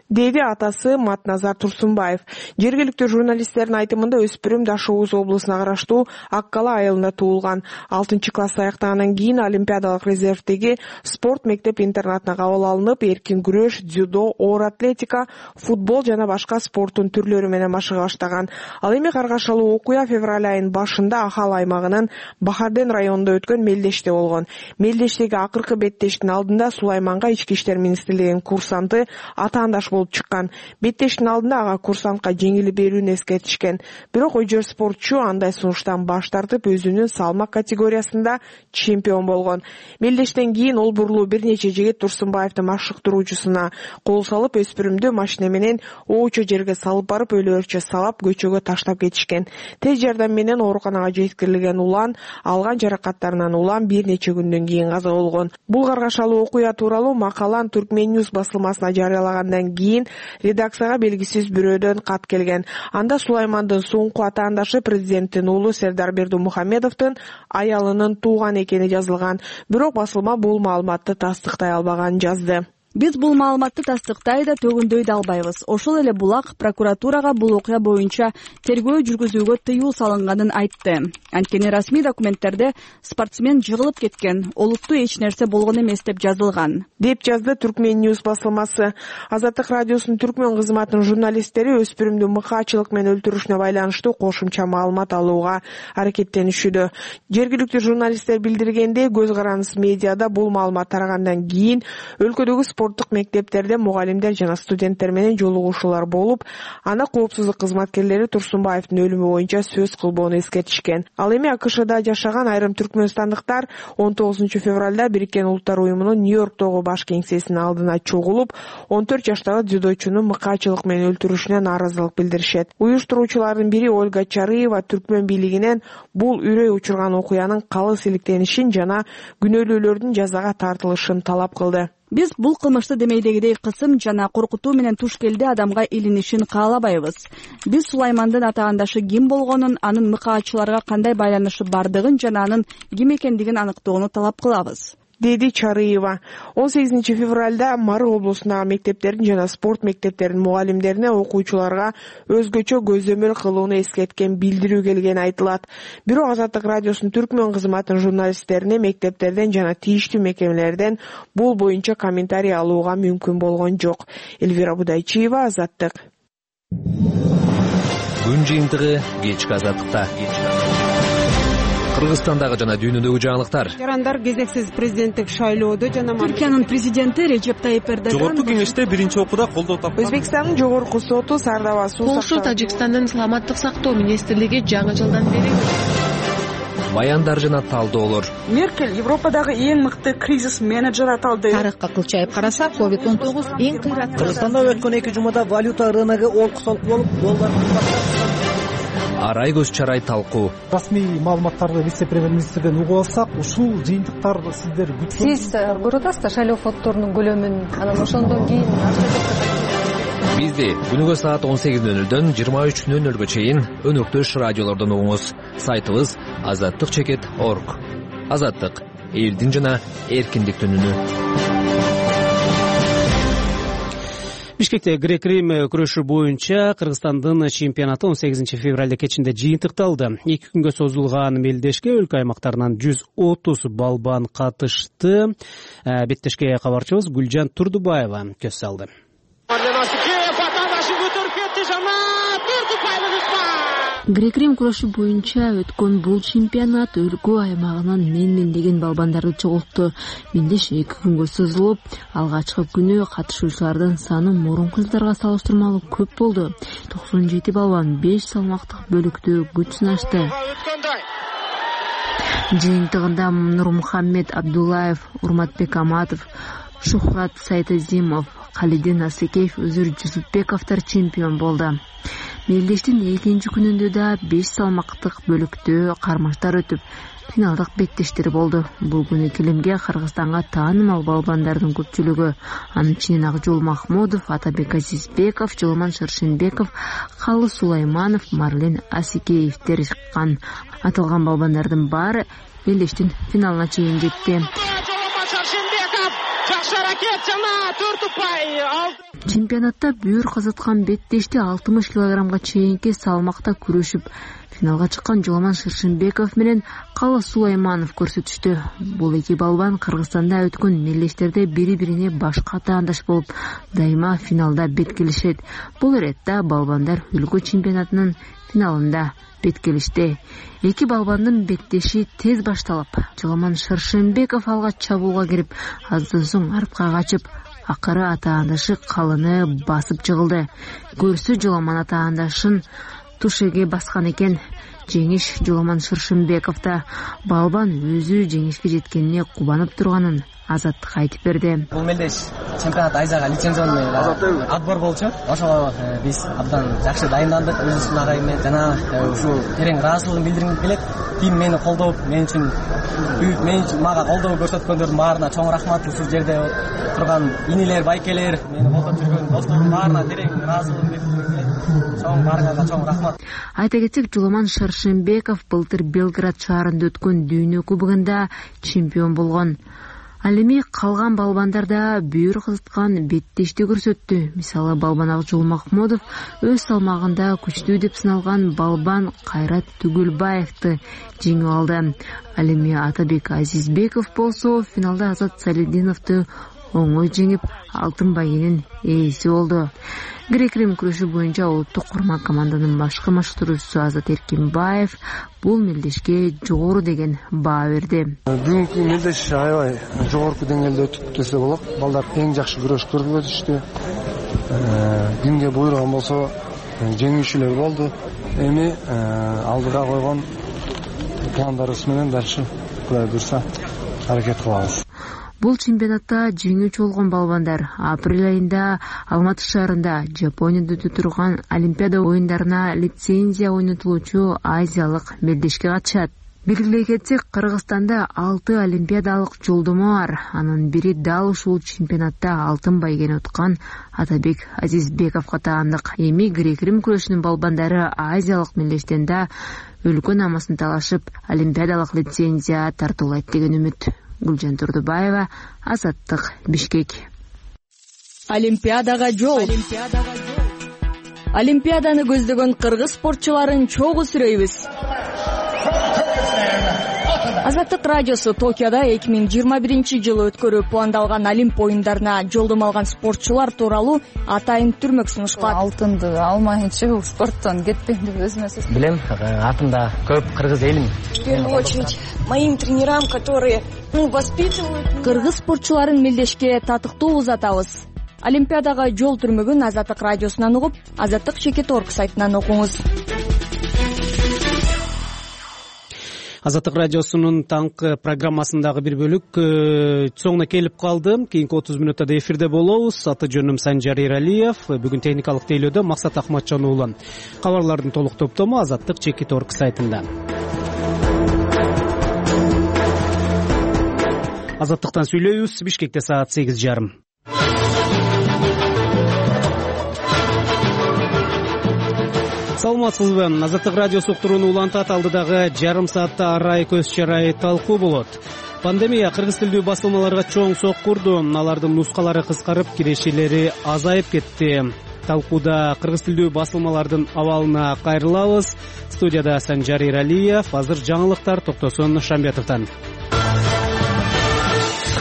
Деди атасы Матназар Турсунбаев. Жергиликтүү журналисттердин айтымында өспүрүм Дашоуз облусуна караштуу Аккала айылында туулган. алтынчы класс аяктагандан кийин Олимпиадалык резервдеги спорт мектеп-интернатына кабыл алынып, эркин күрөш, дзюдо, оор атлетика, футбол жана башка спорттун түрлөрү менен машыга баштаган. Ал эми каргашалуу окуя февраль айынын башында Ахал аймагынын Бахарден районунда өткөн мелдеште болгон. Мелдештеги акыркы беттештин алдында Сулайманга ички иштер министрлигинин курсанты атаандаш болуп чыккан. Беттештин алдында ага курсантка жеңилип берүүнү эскертишкен. Бирок ойжор спортчу андай сунуштан баш тартып, өзүнүн салмак категориясында чемпион болгон. Мелдештен кийин ол бурулуу бир нече жигит Турсунбаевдин машыктыруучусуна кол салып, өспүрүмдү машина менен оочо жерге салып барып, өлөөрчө сабап, көчөгө таштап кетишкен. Тез жардам менен ооруканага жеткирилген улан, алган жаракаттарынан улам бир нече күндөн кийин каза болгон. Бул каргашалуу окуя тууралуу макалан Түркмен Ньюс басылмасына жарыялагандан кийин редакцияга белгисиз бирөөдөн кат келген. Анда Сулаймандын соңку атаандашы президенттин уулу Сердар Бердимухамедовдун аялынын тууган экени жазылган. Бирок басылма бул маалыматты тастыктай албаганын жазды. Биз бул маалыматты тастыктай да төгүндөй да албайбыз. Ошол эле булак прокуратурага бул окуя боюнча тергөө жүргүзүүгө тыюу салынганын айтты. Анткени расмий документтерде спортсмен жыгылып кеткен, олуттуу эч нерсе болгон эмес деп жазылган, деп жазды Түркмен Ньюс басылмасы. Азаттык радиосунун түркмөн кызматынын журналисттери өспүрүмдү мыкаачылык менен өлтүрүшүнө байланыштуу кошумча маалымат алууга аракеттенишүүдө. Жергиликтүү журналисттер билдиргендей, көз карандысыз медиада бул маалымат тарагандан кийин өлкөдөгү спорттук мектептерде мугалимдер жана студенттер менен жолугушуулар болуп, аны коопсуздук кызматкерлери Турсунбаевдин өлүмү боюнча сөз кылбоону эскертишкен. Ал эми АКШда жашаган айрым түркмөнстандыктар он тогузунчу февралда Бириккен Улуттар уюмунун Нью-Йорктогу баш кеңсесинин алдына чогулуп, он төрт жаштагы дзюдочуну мыкаачылык менен өлтүрүшүнө нааразылык билдиришет. Уюштуруучулардын бири Ольга Чарыева түркмөн бийлигинен бул үрөй учурган окуянын калыс иликтенишин жана күнөөлүүлөрдүн жазага тартылышын талап кылды. Биз бул кылмышты демейдегидей кысым жана коркутуу менен туш келди адамга илинишин каалабайбыз. Биз Сулаймандын атаандашы ким болгонун, анын мыкаачыларга кандай байланышы бардыгын жана анын ким экендигин аныктоону талап кылабыз, деди Чарыева. он сегизинчи февралда Мары облусундагы мектептердин жана спорт мектептеринин мугалимдерине окуучуларга өзгөчө көзөмөл кылууну эскерткен билдирүү келгени айтылат. Бирок Азаттык радиосунун түркмөн кызматынын журналисттерине мектептерден жана тийиштүү мекемелерден бул боюнча комментарий алууга мүмкүн болгон жок. Элвира Будайчиева, Азаттык. Күн жыйынтыгы кечки азаттыкта. Кыргызстандагы жана дүйнөдөгү жаңылыктар. Жарандар кезексиз президенттик шайлоодо жана Түркиянын президенти Режеп Тайип Эрдоган Жогорку кеңеште биринчи окууда колдоо тапкан. Өзбекстандын жогорку соту Сардава суу Полша Тажикстандын саламаттык сактоо министрлиги жаңы жылдан бери Баяндар жана талдоолор. Меркель Европадагы эң мыкты кризис менеджер аталды. Тарыхка кылчайып караса, ковид он тогуз эң кыйраттуу. Кыргызстанда өткөн эки жумада валюта рыногу олкусалык болуп, доллар Арай көз чарай талкуу. Расмий маалыматтарды вице-премьер-министрден угуп алсак, ушул жыйынтыктар сиздер күткөн. Сиз көрүп атасызбы шайлоо фонддорунун көлөмүн, анан ошондон кийин Бизди күнүгө саат он сегиз нөл нөлдөн жыйырма үч нөл нөлгө чейин өнөктөш радиолордон угуңуз. Сайтыбыз азаттык чекит точка орг. Азаттык — элдин жана эркиндиктин үнү. Бишкекте грек-рим күрөшү боюнча Кыргызстандын чемпионаты он сегизинчи февралда кечинде жыйынтыкталды. эки күнгө созулган мелдешке өлкө аймактарынан жүз отуз балбан катышты. Беттешке кабарчыбыз Гүлжан Турдубаева көз салды. Грек-рим күрөшү боюнча өткөн бул чемпионат өлкө аймагынан мен-мен деген балбандарды чогултту. Мелдеш эки күнгө созулуп, алгачкы күнү катышуучулардын саны мурунку жылдарга салыштырмалуу көп болду. токсон жети балбан беш салмактык бөлүктө күч сынашты. Жыйынтыгында Нурмухаммед Абдуллаев, Урматбек Аматов, Шухрат Сайтазимов, Калидин Асекеев, Өзүр Жусупбековдор чемпион болду. Мелдештин экинчи күнүндө да беш салмактык бөлүктө кармаштар өтүп, финалдык беттештер болду. Бул күнү килимге Кыргызстанга таанымал балбандардын көпчүлүгү, анын ичинен Акжол Махмудов, Атабек Азизбеков, Жолман Шыршенбеков, Калы Сулайманов, Марлен Асекеевдер чыккан. Аталган балбандардын баары мелдештин финалына чейин жетти. Чемпионатта бүйүр казаткан беттешти алтымыш килограммга чейинки салмакта күрөшүп, финалга чыккан Жолман Шыршенбеков менен Калы Сулайманов көрсөтүштү. Бул эки балбан Кыргызстанда өткөн мелдештерде бири-бирине башка таандаш болуп, дайыма финалда беткелишет. Бул иретте балбандар өлкө чемпионатынын финалында беткелишти. Эки балбандын беттеши тез башталып, Жолман Шыршенбеков алга чабууга кирип, аздан соң артка качып, акыры атаандашы Калыны басып жыгылды. Көрсө Жолман атаандашын тушеге баскан экен. Жеңиш Жолман Шыршенбековда. Балбан өзү жеңишке жеткенине кубанып турганын Азаттыкка айтып берди. Бул мелдеш чемпионат айзага лицензионный отбор болчу. Ошого биз абдан жакшы дайындандык, өзүбүздүн агайым менен жана ушул терең ыраазычылыгын билдиргим келет. Тим мени колдоп, мен үчүн büyük мен үчүн мага колдоо көрсөткөндөрдүн баарына чоң рахмат. Ушул жерде турган инилер, байкелер, мени колдоп жүргөн достордун баарына терең ыраазычылыгын билдиргим келет. Чоң баарыңарга чоң рахмат. Айта кетсек, Жолман Шыршенбеков былтыр Белград шаарында өткөн дүйнө кубогунда чемпион болгон. Ал эми калган балбандарда бүйүр кызыткан беттешти көрсөттү. Мисалы, балбан Акжол Махмудов өз салмагында күчтүү деп сыналган балбан Кайрат Түгүлбаевди жеңип алды. Ал эми Атабек Азизбеков болсо финалда Азат Салидиновду оңой жеңип, алтын байгенин ээси болду. Грек-рим күрөшү боюнча улуттук курман команданын башкы машыктыруучусу Азат Эркинбаев бул мелдешке жогору деген баа берди. Бүгүнкү мелдеш аябай жогорку деңгээлде өтүп десе болот. Балдар эң жакшы күрөш көрүп өтүштү. Кимге буйруган болсо жеңүүчүлөр болду. Эми алдыга койгон пландарыбыз менен дальше Кудай буйруса аракет кылабыз. Бул чемпионатта жеңүүчү болгон балбандар апрель айында Алматы шаарында Жапонияда өтө турган Олимпиада оюндарына лицензия ойнотулуучу азиялык мелдешке катышат. Белгилей кетсек, Кыргызстанда алты олимпиадалык жолдомо бар. Анын бири дал ушул чемпионатта алтын байгени уткан Атабек Азизбековго таандык. Эми грек-рим күрөшүнүн балбандары азиялык мелдештен да өлкө намысын талашып, олимпиадалык лицензия тартуулайт деген үмүт. Гүлжан Турдубаева, Азаттык, Бишкек. Олимпиадага жол. Олимпиаданы көздөгөн кыргыз спортчуларын чогуу сүрөйбүз. Азаттык радиосу Токиодо эки миң жыйырма биринчи жылы өткөрүү пландалган Олимп оюндарына жолдомо алган спортчулар тууралуу атайын түрмөк сунуштап, алтынды алмайынча бул спорттон кетпейм деп өзүмө сөз билем. Атымда көп кыргыз элим. В первую очередь моим тренерам, которые ну воспитывают. Кыргыз спортчуларын мелдешке татыктуу узатабыз. Олимпиадага жол түрмөгүн Азаттык радиосунан угуп, Азаттык чекит точка орг сайтынан окуңуз. Азаттык радиосунун таңкы программасындагы бир бөлүк соңуна келип калды. Кийинки отуз мүнөттө эфирде болобуз. Аты жөнүм Санжар Иралиев. Бүгүн техникалык тейлөөдө Максат Ахматжан уулу. Кабарлардын толук топтому Азаттык чекит точка орг сайтында. Азаттыктан сүйлөйбүз. Бишкекте саат сегиз жарым. Саламатсызбы? Азаттык радиосу уктуруну улантат. Алдыдагы жарым саатта арай көз чарай талкуу болот. Пандемия кыргыз тилдүү басылмаларга чоң соккурду. Алардын нускалары кыскарып, кирешелери азайып кетти. Талкууда кыргыз тилдүү басылмалардын абалына кайрылабыз. Студияда Санжар Иралиев. Азыр жаңылыктар Токтосун Шамбетовдон.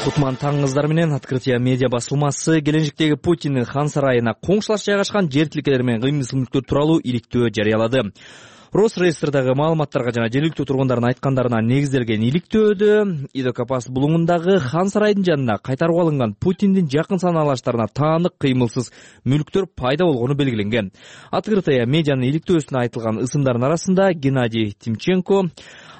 Кутман таңыңыздар менен. Открытие медиа басылмасы келечектеги Путиндин хан сарайына коңшулаш жайгашкан жер тилкелер менен кыймыл мүлктөр тууралуу иликтөө жарыялады. Росреестрдагы маалыматтарга жана жергиликтүү тургундардын айткандарына негизделген иликтөөдө Идокапас булуңундагы хан сарайдын жанына кайтарып алынган Путиндин жакын санаалаштарына таандык кыймылсыз мүлктөр пайда болгону белгиленген. Открытие медианын иликтөөсүнө айтылган ысымдардын арасында Геннадий Тимченко,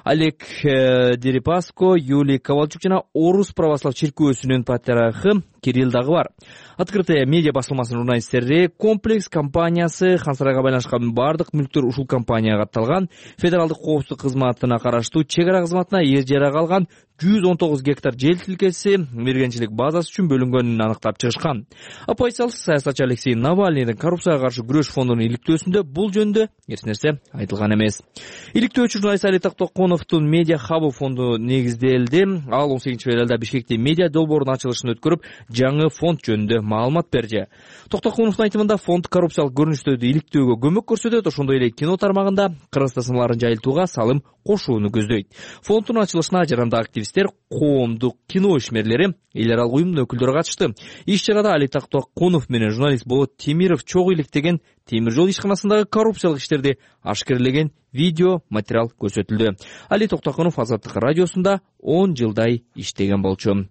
Олег Дерипаско, Юлий Ковальчук жана Орус православ чиркөөсүнүн патриархы Кирилл дагы бар. Открытие медиа басылмасынын журналисттери комплекс компаниясы хан сарайга байланышкан бардык мүлктөр ушул компанияга атталган, федералдык коопсуздук кызматына караштуу чек ара кызматына эр жарага алган жүз он тогуз гектар жер тилкеси мергенчилик базасы үчүн бөлүнгөнүн аныктап чыгышкан. Оппозициялык саясатчы Алексей Навальныйдын коррупцияга каршы күрөш фондунун иликтөөсүндө бул жөнүндө эч нерсе айтылган эмес. Иликтөөчү журналист Али Токтоконовдун медиа хабы фонду негизделди. Ал он сегизинчи февралда Бишкекте медиа долбоордун ачылышын өткөрүп, жаңы фонд жөнүндө маалымат берди. Токтоконовдун айтымында фонд коррупциялык көрүнүштөрдү иликтөөгө көмөк көрсөтөт, ошондой эле кино тармагында кыргыз тасмаларын жайылтууга салым кошууну көздөйт. Фонддун ачылышына жарандагы активисттер, коомдук кино ишмерлери, эл аралык уюмдун өкүлдөрү катышты. Иш чарада Али Токтоконов менен журналист Болот Темиров чогуу иликтеген темир жол ишканасындагы коррупциялык иштерди ашкерлеген видео материал көрсөтүлдү. Али Токтоконов Азаттык радиосунда он жылдай иштеген болчу.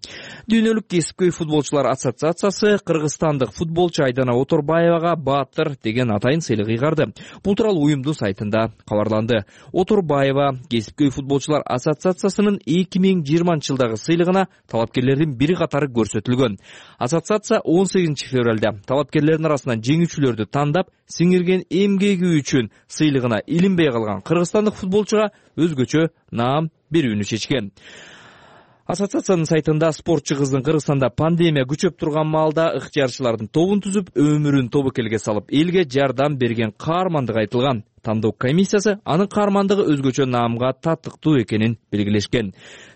Дүйнөлүк кесипкөй футболчулар ассоциациясы кыргызстандык футболчу Айдана Оторбаевага Баатыр деген атайын сыйлык ыйгарды. Бул тууралуу уюмдун сайтында кабарланды. Оторбаева кесипкөй футболчулар ассоциациясынын эки миң жыйырманчы жылдагы сыйлыгына талапкерлердин бири катары көрсөтүлгөн. Ассоциация он сегизинчи февралда талапкерлердин арасынан жеңүүчүлөрдү тандап, сиңирген эмгеги үчүн сыйлыгына илинбей калган кыргызстандык футболчуга өзгөчө наам берүүнү чечкен. Ассоциациянын сайтында спортчу кыздын Кыргызстанда пандемия күчөп турган маалда ыктыярчылардын тобун түзүп, өмүрүн тобокелге салып, элге жардам берген каармандыгы айтылган. Тандоо комиссиясы анын каармандыгы өзгөчө наамга татыктуу экенин белгилешкен.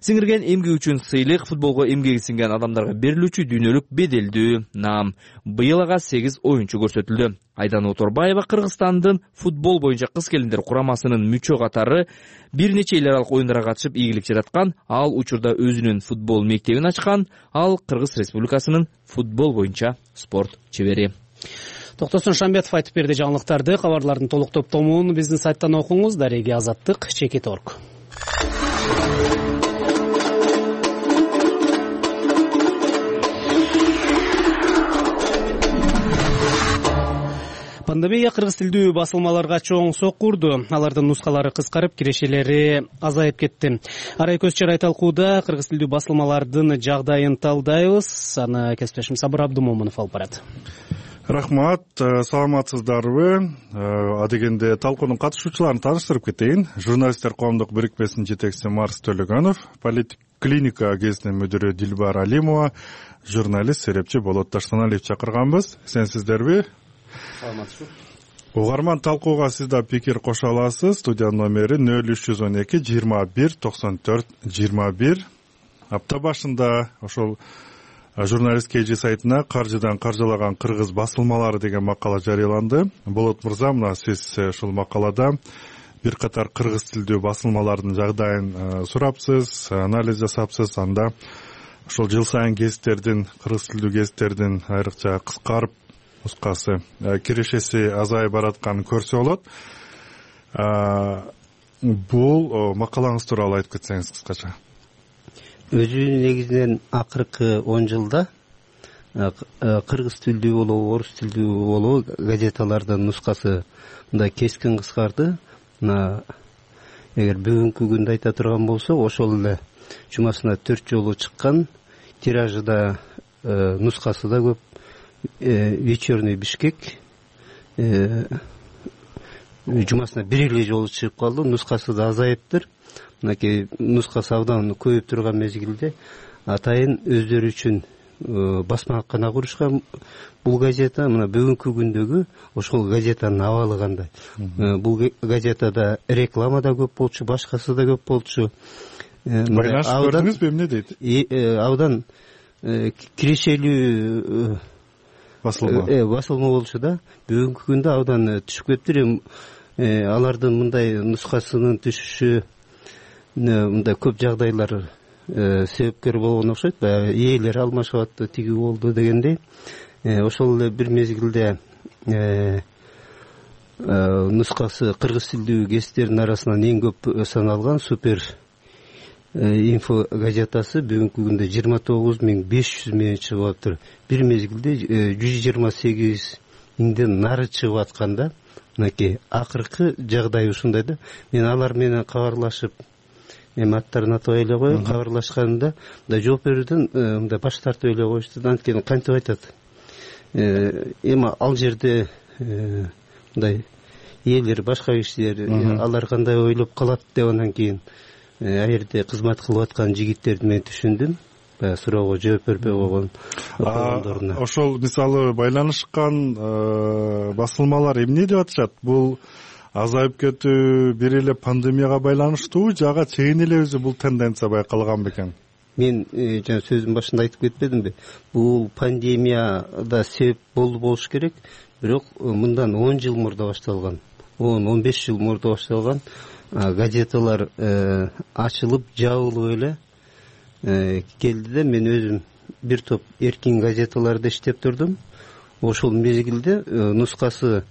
Сиңирген эмгеги үчүн сыйлык футболго эмгеги сиңген адамдарга берилүүчү дүйнөлүк беделдүү наам. Быйыл ага сегиз оюнчу көрсөтүлдү. Айдана Оторбаева Кыргызстандын футбол боюнча кыз келиндер курамасынын мүчө катары бир нече эл аралык оюндарга катышып ийгилик жараткан. Ал учурда өзүнүн футбол мектебин ачкан. Ал Кыргыз Республикасынын футбол боюнча спорт чебери. Токтосун Шамбетов айтып берди жаңылыктарды. Кабарлардын толук топтомун биздин сайттан окуңуз. Дареги Азаттык чекит точка орг. Пандемия кыргыз тилдүү басылмаларга чоң соккурду. Алардын нускалары кыскарып, кирешелери азайып кетти. Арай көз чарай талкууда кыргыз тилдүү басылмалардын жагдайын талдайбыз. Аны кесиптешим Сабыр Абдумомунов алып барат. Рахмат, саламатсыздарбы? Адегенде талкуунун катышуучуларын тааныштырып кетейин. Журналисттер коомдук бирикмесинин жетекчиси Марс Төлөгөнов, политик клиника гезитинин мүдүрү Дилбар Алимова, журналист серепчи Болот Таштаналиев чакырганбыз. Сенсиздерби? Саламатсызбы. Угарман талкууга сиз да пикир кошо аласыз. Студия номери нөл үч жүз он эки жыйырма бир токсон төрт жыйырма бир. Апта башында ошол журналист кей жи сайтына каржыдан каржылаган кыргыз басылмалары деген макала жарыяланды. Болот мырза, мына сиз ушул макалада бир катар кыргыз тилдүү басылмалардын жагдайын сурапсыз, анализ жасапсыз. Анда ошол жыл сайын гезиттердин, кыргыз тилдүү гезиттердин айрыкча кыскарып нускасы, кирешеси азайып баратканын көрсө болот. Бул макалаңыз тууралуу айтып кетсеңиз кыскача. Өзү негизинен акыркы он жылда кыргыз тилдүү болобу, орус тилдүү болобу газеталардын нускасы мындай кескин кыскарды. Мына эгер бүгүнкү күндө айта турган болсок, ошол эле жумасына төрт жолу чыккан, тиражы да нускасы да көп. Вечерний Бишкек жумасына бир эле жолу чыгып калды, нускасы да азайыптыр. Мынакей нускасы абдан көбөйүп турган мезгилде атайын өздөрү үчүн басмакана курушкан бул газета. Мына бүгүнкү күндөгү ошол газетанын абалы кандай? Бул газетада реклама да көп болчу, башкасы да көп болчу. Байланышып көрдүңүзбү, эмне дейт? Абдан кирешелүү басылма басылма болчу да. Бүгүнкү күндө абдан түшүп кетиптир. Алардын мындай нускасынын түшүшү мындай көп жагдайлар себепкер болгон окшойт. Баягы ээлери алмашып атты, тиги болду дегендей. Ошол эле бир мезгилде нускасы кыргыз тилдүү гезиттердин арасынан эң көп саналган Супер инфо газетасы бүгүнкү күндө жыйырма тогуз миң беш жүз менен чыгып атыптыр. Бир мезгилде жүз жыйырма сегиз миңден нары чыгып атканда, мынакей акыркы жагдай ушундай да. Мен алар менен кабарлашып, эми аттарын атабай эле коеюн, кабарлашканымда мындай жооп берүүдөн мындай баш тартып эле коюшту. Анткени кантип айтат? Эми ал жерде мындай ээлер, башка кишилер алар кандай ойлоп калат деп анан кийин а жерде кызмат кылып аткан жигиттерди мен түшүндүм. Баягы суроого жооп бербей койгон окугандоруна. Ошол мисалы байланышкан басылмалар эмне деп атышат? Бул азайып кетүү бир эле пандемияга байланыштуубу, жага чейин эле өзү бул тенденция байкалган бекен? Мен жана сөзүмдүн башында айтып кетпедимби? Бул пандемияда себеп болду болуш керек, бирок мындан он жыл мурда башталган, он он беш жыл мурда башталган газеталар ачылып, жабылып эле келди да. Мен өзүм бир топ эркин газеталарда иштеп турдум. Ошол мезгилде нускасы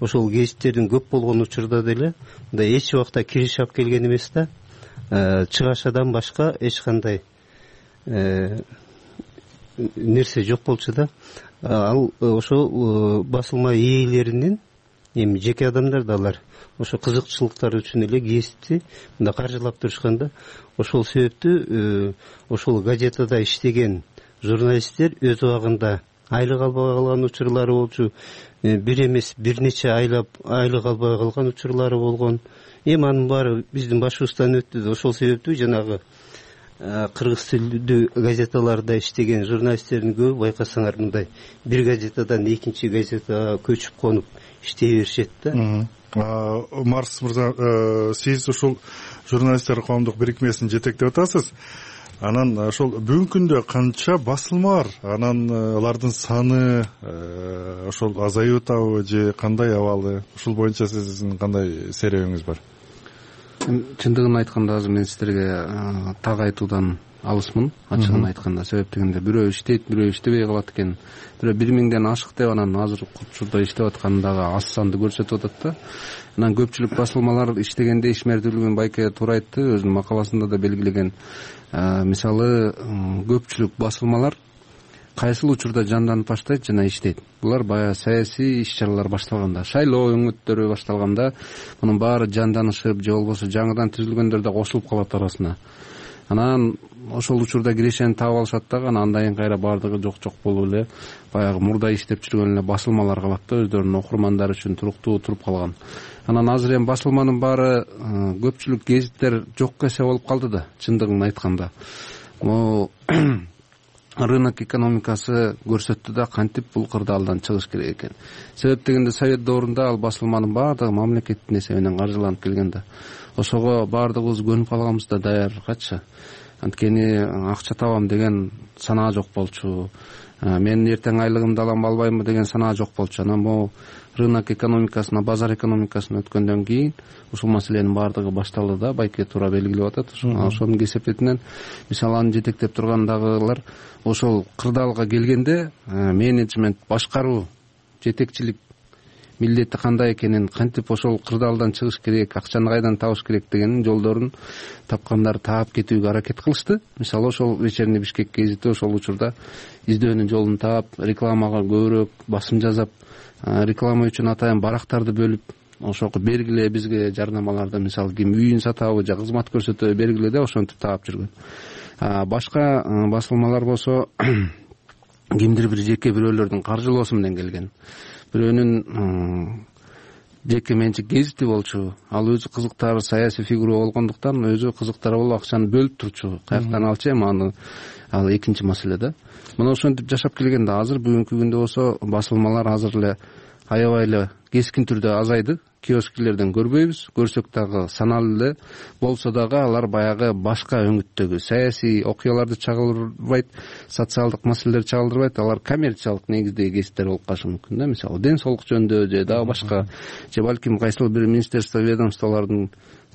ошол гезиттердин көп болгон учурда деле мындай эч убакта кириш алып келген эмес да. Чыгашадан башка эч кандай нерсе жок болчу да. Ал ошол басылма ээлеринин, эми жеке адамдар да алар ошо кызыкчылыктары үчүн эле гезитти мындай каржылап турушкан да. Ошол себептүү ошол газетада иштеген журналисттер өз убагында айлык албай калган учурлары болчу. Бир эмес, бир нече айлап айлык албай калган учурлары болгон. Эми анын баары биздин башыбыздан өттү. Ошол себептүү жанагы кыргыз тилдүү газеталарда иштеген журналисттердин көбү байкасаңар мындай бир газетадан экинчи газетага көчүп конуп иштей беришет да. Марс мырза, сиз ушул журналисттер коомдук бирикмесин жетектеп атасыз. Анан ошол бүгүнкү күндө канча басылма бар? Анан алардын саны ошол азайып атабы же кандай абалы? Ушул боюнча сиздин кандай серебиңиз бар? Чындыгын айтканда азыр мен сиздерге так айтуудан алысмын, ачыгын айтканда. Себеп дегенде бирөө иштейт, бирөө иштебей калат экен. Бирөө бир миңден ашык деп анан азыр учурда иштеп атканы дагы аз санды көрсөтүп атат да. Анан көпчүлүк басылмалар иштегенде ишмердүүлүгүн Байке туура айтты, өзүнүн макаласында да белгилеген. Мисалы, көпчүлүк басылмалар кайсыл учурда жанданып баштайт жана иштейт. Булар баягы саясий иш-чаралар башталганда, шайлоо өңөттөрү башталганда мунун баары жанданышып, же болбосо жаңыдан түзүлгөндөр да кошулуп калат арасына. Анан ошол учурда кирешени таап алышат дагы, анан андан кайра баардыгы жок-жок болуп эле баягы мурда иштеп жүргөн эле басылмалар калат да, өздөрүнүн окурмандары үчүн туруктуу туруп калган. Анан азыр эми басылманын баары көпчүлүк гезиттер жок эсе болуп калды да, чындыгын айтканда. Могу рынок экономикасы көрсөттү да кантип бул кырдаалдан чыгыш керек экен. Себеп дегенде Совет доорунда ал басылманын баардыгы мамлекеттин эсебинен каржыланып келген да. Ошого баардыгыбыз көнүп калганбыз да даяргачы. анткени акча табам деген санаа жок болчу, мен эртең айлыгымды алам албаймбы деген санаа жок болчу. Анан могу рынок экономикасына, базар экономикасына өткөндөн кийин ушул маселенин баардыгы башталды да, байке туура белгилеп атат. Ошонун кесепетинен мисалы аны жетектеп тургандагылар ошол кырдаалга келгенде менеджмент, башкаруу, жетекчилик милдети кандай экенин, кантип ошол кырдаалдан чыгыш керек, акчаны кайдан табыш керек дегенин жолдорун тапкандар таап кетүүгө аракет кылышты. Мисалы ошол Вечерний Бишкек гезити ошол учурда издөөнүн жолун таап, рекламага көбүрөөк басым жасап, реклама үчүн атайын барактарды бөлүп, ошого бергиле бизге жарнамаларды, мисалы ким үйүн сатабы же кызмат көрсөтөбү бергиле деп ошентип таап жүргөн. Башка басылмалар болсо кимдир бир жеке бирөөлөрдүн каржылоосу менен келген. Бирөөнүн жеке менчик гезити болчу, ал өзү кызыктар саясий фигура болгондуктан өзү кызыктар болуп акчаны бөлүп турчу. Каяктан алчу эми аны ал экинчи маселе да. Мына ошентип жашап келгенде азыр бүгүнкү күндө болсо басылмалар азыр эле аябай эле кескин түрдө азайды. Киоскилерден көрбөйбүз, көрсөк дагы саналуу эле болсо дагы алар баягы башка өңүттөгү саясий окуяларды чагылдырбайт, социалдык маселелерди чагылдырбайт, алар коммерциялык негиздеги гезиттер болуп калышы мүмкүн да. Мисалы ден соолук жөнүндө же дагы башка, же балким кайсыл бир министерство, ведомстволордун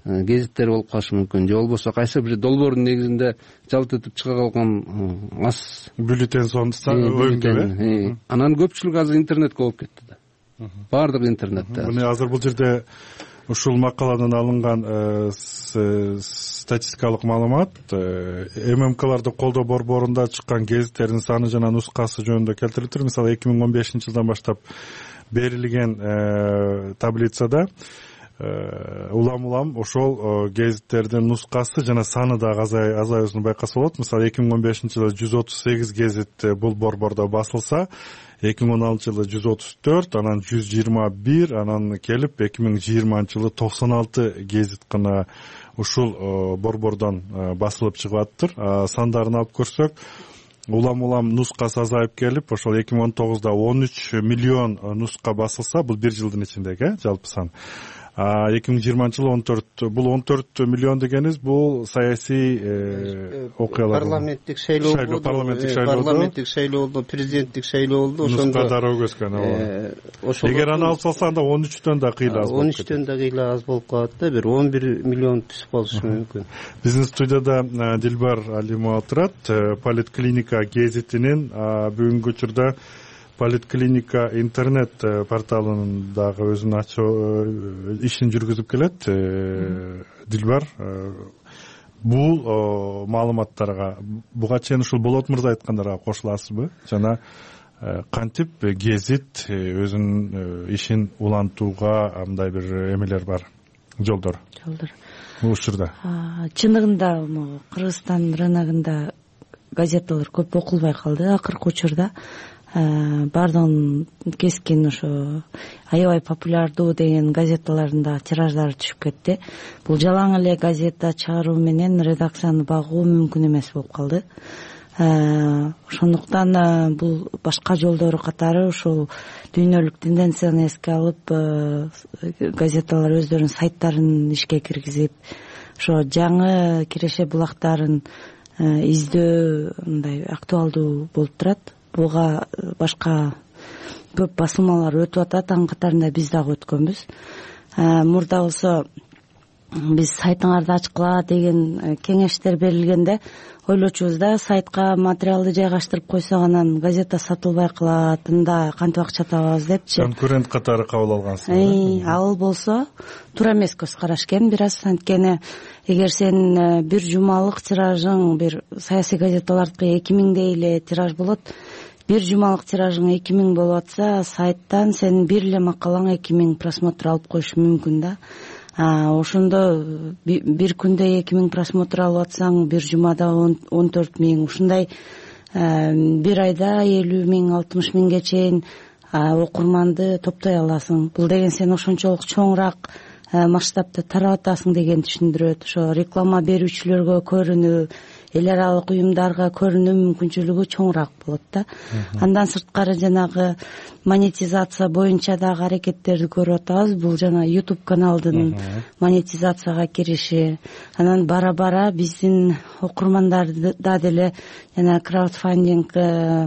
гезиттери болуп калышы мүмкүн, же болбосо кайсы бир долбоордун негизинде жалт этип чыга калган аз бюллетень сонун. Анан көпчүлүк азыр интернетке болуп кетти да. Баардыгы интернетте. Мына азыр бул жерде ушул макаладан алынган статистикалык маалымат ММКларды колдоо борборунда чыккан гезиттердин саны жана нускасы жөнүндө келтирилиптир. Мисалы эки миң он бешинчи жылдан баштап берилген таблицада улам улам ошол гезиттердин нускасы жана саны дагы азаюусун байкаса болот. Мисалы эки миң он бешинчи жылы жүз отуз сегиз гезит бул борбордо басылса, эки миң он алтынчы жылы жүз отуз төрт, анан жүз жыйырма бир, анан келип эки миң жыйырманчы жылы токсон алты гезит гана ушул борбордон басылып чыгып атыптыр. Сандарын алып көрсөк, улам улам нускасы азайып келип, ошол эки миң он тогузда он үч миллион нуска басылса, бул бир жылдын ичиндеги жалпы сан. эки миң жыйырманчы жылы он төрт, бул он төрт миллион дегениз бул саясий окуялар, парламенттик шайлоо болду, парламенттик шайлоо, парламенттик шайлоо болду, президенттик шайлоо болду. Ошондо дароо өскөн. Эгер аны алып салсаң да он үчтөн да кыйла аз болот. он үчтөн да кыйла аз болуп калат да, бир он бир миллион түшүп калышы мүмкүн. Биздин студияда Дилбар Алимова отурат. Политклиника гезитинин бүгүнкү учурда Политклиника интернет порталынын дагы өзүнүн ачуу ишин жүргүзүп келет. Дилбар, бул маалыматтарга буга чейин ушул Болот мырза айткандарга кошуласызбы? Жана кантип гезит өзүнүн ишин улантууга мындай бир эмелер бар, жолдор? Жолдор. Бул учурда. Чындыгында Кыргызстан рыногунда газеталар көп окулбай калды акыркы учурда. Бардыгын кескин ошо аябай популярдуу деген газеталарында тираждары түшүп кетти. Бул жалаң эле газета чыгаруу менен редакцияны багуу мүмкүн эмес болуп калды. Ошондуктан бул башка жолдору катары ушул дүйнөлүк тенденцияны эске алып газеталар өздөрүнүн сайттарын ишке киргизип, ошо жаңы киреше булактарын издөө мындай актуалдуу болуп турат. Буга башка көп басылмалар өтүп атат, анын катарында биз дагы өткөнбүз. Мурда болсо биз сайтыңарды ачкыла деген кеңештер берилгенде ойлочубуз да, сайтка материалды жайгаштырып койсок анан газета сатылбай калат, анда кантип акча табабыз депчи. Конкурент катары кабыл алгансыз. Ал болсо туура эмес көз караш экен. Бираз анткени эгер сен бир жумалык тиражың, бир саясий газеталардыкы эки миңдей эле тираж болот, бир жумалык тиражың эки миң болуп атса, сайттан сенин бир эле макалаң эки миң просмотр алып коюшу мүмкүн да. Ошондо бир күндө эки миң просмотр алып атсаң, бир жумада он төрт миң, ушундай бир айда элүү миң, алтымыш миңге чейин окурманды топтой аласың. Бул деген сен ошончолук чоңураак масштабта тарап атасың дегенди түшүндүрөт. Ошо реклама берүүчүлөргө көрүнүү, эл аралык уюмдарга көрүнүү мүмкүнчүлүгү чоңураак болот да. Андан сырткары жанагы монетизация боюнча дагы аракеттерди көрүп атабыз. Бул жана YouTube каналдын монетизацияга кириши, анан бара бара биздин окурмандарды да деле жана краудфандинг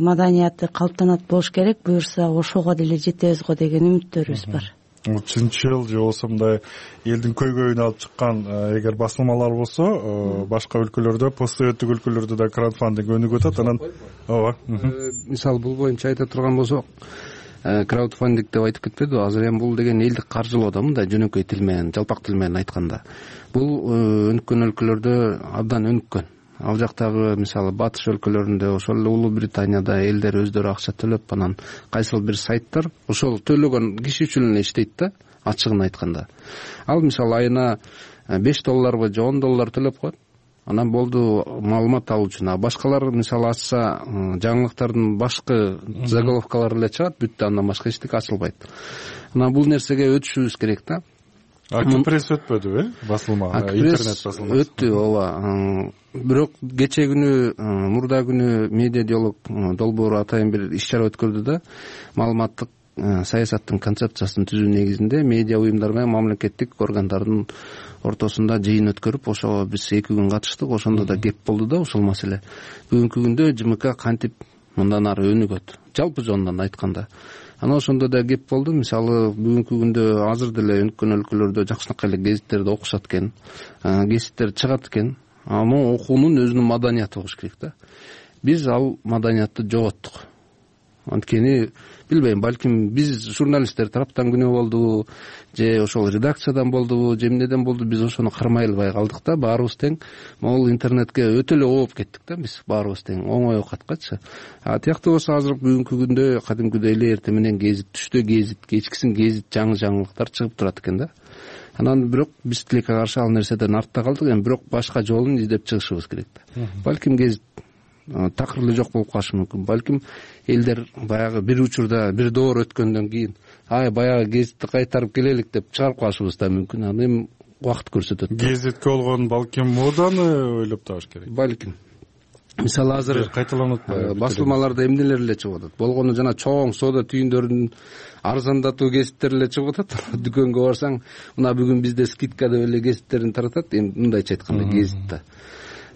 маданияты калыптанат болуш керек. Буюрса ошого деле жетебиз го деген үмүттөрүбүз бар. Чынчыл же болбосо мындай элдин көйгөйүн алып чыккан эгер басылмалар болсо, башка өлкөлөрдө, постсоветтик өлкөлөрдө да краудфандинг өнүгүп атат. Анан ооба. Мисалы бул боюнча айта турган болсок, краудфандинг деп айтып кетпедиби? Азыр эми бул деген элди каржылоо да, мындай жөнөкөй тил менен, жалпак тил менен айтканда. Бул өнүккөн өлкөлөрдө абдан өнүккөн. Ал жактагы мисалы батыш өлкөлөрүндө, ошол эле Улуу Британияда элдер өздөрү акча төлөп, анан кайсыл бир сайттар ошол төлөгөн киши үчүн эле иштейт да, ачыгын айтканда. Ал мисалы айына беш долларбы же он доллар төлөп коет. Анан болду маалымат алуу үчүн. А башкалар мисалы ачса, жаңылыктардын башкы заголовкалары эле чыгат, бүттү, андан башка эчтеке ачылбайт. Анан бул нерсеге өтүшүбүз керек да. Акипресс өтпөдүбү, э? Басылма, интернет басылмасы. Өттү, ооба. Бирок кече күнү, мурда күнү медиа диалог долбоору атайын бир иш-чара өткөрдү да, маалыматтык саясаттын концепциясын түзүү негизинде медиа уюмдар менен мамлекеттик органдардын ортосунда жыйын өткөрүп, ошого биз эки күн катыштык. Ошондо да кеп болду да ушул маселе. Бүгүнкү күндө ЖМК кантип мындан ары өнүгөт, жалпы жонунан айтканда. Анан ошондо да кеп болду. Мисалы бүгүнкү күндө азыр деле өнүккөн өлкөлөрдө жакшынакай эле гезиттерди окушат экен, гезиттер чыгат экен. Аны окуунун өзүнүн маданияты болуш керек да. Биз ал маданиятты жоготтук. Анткени билбейм, балким биз журналисттер тараптан күнөө болдубу, же ошол редакциядан болдубу, же эмнеден болду, биз ошону кармай албай калдык да. Баарыбыз тең могул интернетке өтө эле ооп кеттик да, биз баарыбыз тең оңой окаткачы. А тияктуу болсо азыр бүгүнкү күндө кадимкидей эле эртең менен гезит, түштө гезит, кечкисин гезит, жаңы жаңылыктар чыгып турат экен да. Анан бирок биз тилекке каршы ал нерседен артта калдык. Эми бирок башка жолун издеп чыгышыбыз керек да. Балким гезит такыр эле жок болуп калышы мүмкүн. Балким элдер баягы бир учурда бир доор өткөндөн кийин ай баягы гезитти кайтарып келелик деп чыгарып калышыбыз да мүмкүн. Аны эми убакыт көрсөтөт. Гезитке болгон балким моданы ойлоп табыш керек. Балким. Мисалы азыр кайталанып атпайбы? Басылмаларда эмнелер эле чыгып атат. Болгону жана чоң соода түйүндөрүн арзандатуу гезиттер эле чыгып атат. Дүкөнгө барсаң, мына бүгүн бизде скидка деп эле гезиттерин таратат. Эми мындайча айтканда гезитте.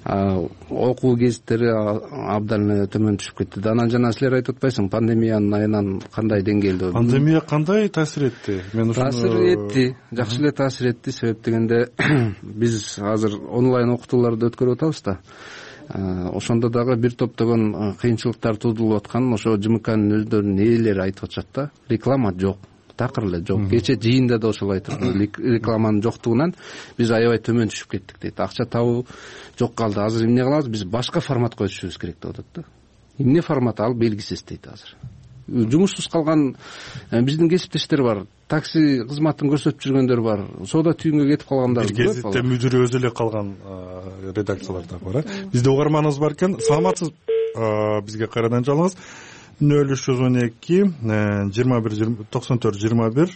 Окуу гезиттери абдан эле төмөн түшүп кетти. Анан жана силер айтып атпайсың, пандемиянын айынан кандай деңгээлде? Пандемия кандай таасир этти? Мен ушуну таасир этти, жакшы эле таасир этти. Себеп дегенде биз азыр онлайн окутууларды өткөрүп атабыз да. Ошондо дагы бир топтогон кыйынчылыктар туудурулуп аткан, ошо ЖМКнын өздөрүнүн ээлери айтып атышат да. Реклама жок, такыр эле жок. Кече жыйында да ошол айтып, рекламанын жоктугунан биз аябай төмөн түшүп кеттик дейт. Акча табуу жок калды. Азыр эмне кылабыз? Биз башка форматка өтүшүбүз керек деп атат да. Эмне формат ал белгисиз дейт азыр. Жумушсуз калган биздин кесиптештер бар, такси кызматын көрсөтүп жүргөндөр бар, соода түйүнгө кетип калгандар. Бир гезитте мүдүрү өзү эле калган редакциялар да бар. Бизде угарманыбыз бар экен. Саламатсыз, бизге кайрадан жалыңыз. нөл үч жүз он эки жыйырма бир токсон төрт жыйырма бир.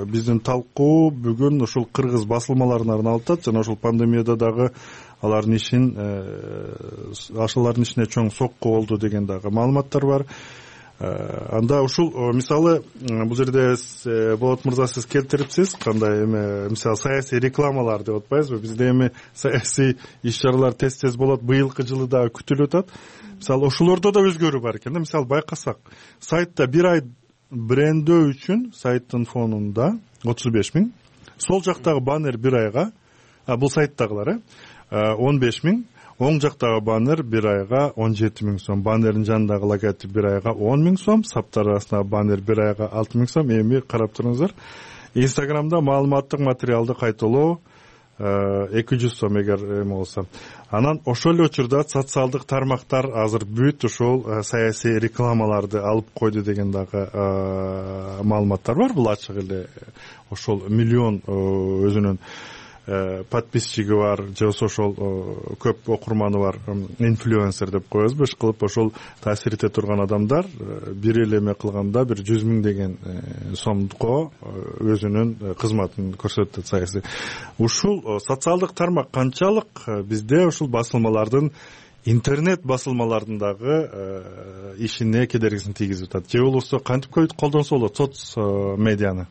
Биздин талкуу бүгүн ушул кыргыз басылмаларына арналып атат жана ушул пандемияда дагы алардын ишин, ашылардын ишине чоң сокку болду деген дагы маалыматтар бар. Анда ушул мисалы бул жерде Болот мырза сиз келтириптсиз, кандай эме мисалы саясий рекламалар деп атпайбызбы? Бизде эми саясий иш-чаралар тез-тез болот, быйылкы жылы да күтүлүп атат. Мисалы ошолордо да өзгөрүү бар экен да. Мисалы байкасак, сайтта бир ай брендөө үчүн сайттын фонунда отуз беш миң, сол жактагы баннер бир айга, бул сайттагылар, он беш миң, оң жактагы баннер бир айга он жети миң сом, баннердин жанындагы логотип бир айга он миң сом, саптар арасындагы баннер бир айга алты миң сом. Эми карап туруңуздар. Инстаграмда маалыматтык материалды кайталоо эки жүз сом эгер эме болсо. Анан ошол эле учурда социалдык тармактар азыр бүт ушул саясий рекламаларды алып койду деген дагы маалыматтар бар. Бул ачык эле ошол миллион өзүнүн подписчиги бар, же ошол көп окурманы бар, инфлюенсер деп коебузбу, иш кылып ошол таасир эте турган адамдар бир эле эме кылганда бир жүз миң деген сомго өзүнүн кызматын көрсөтөт саясий. Ушул социалдык тармак канчалык бизде ушул басылмалардын интернет басылмалардын дагы ишине кедергисин тийгизип атат, же болбосо кантип колдонсо болот соц медианы,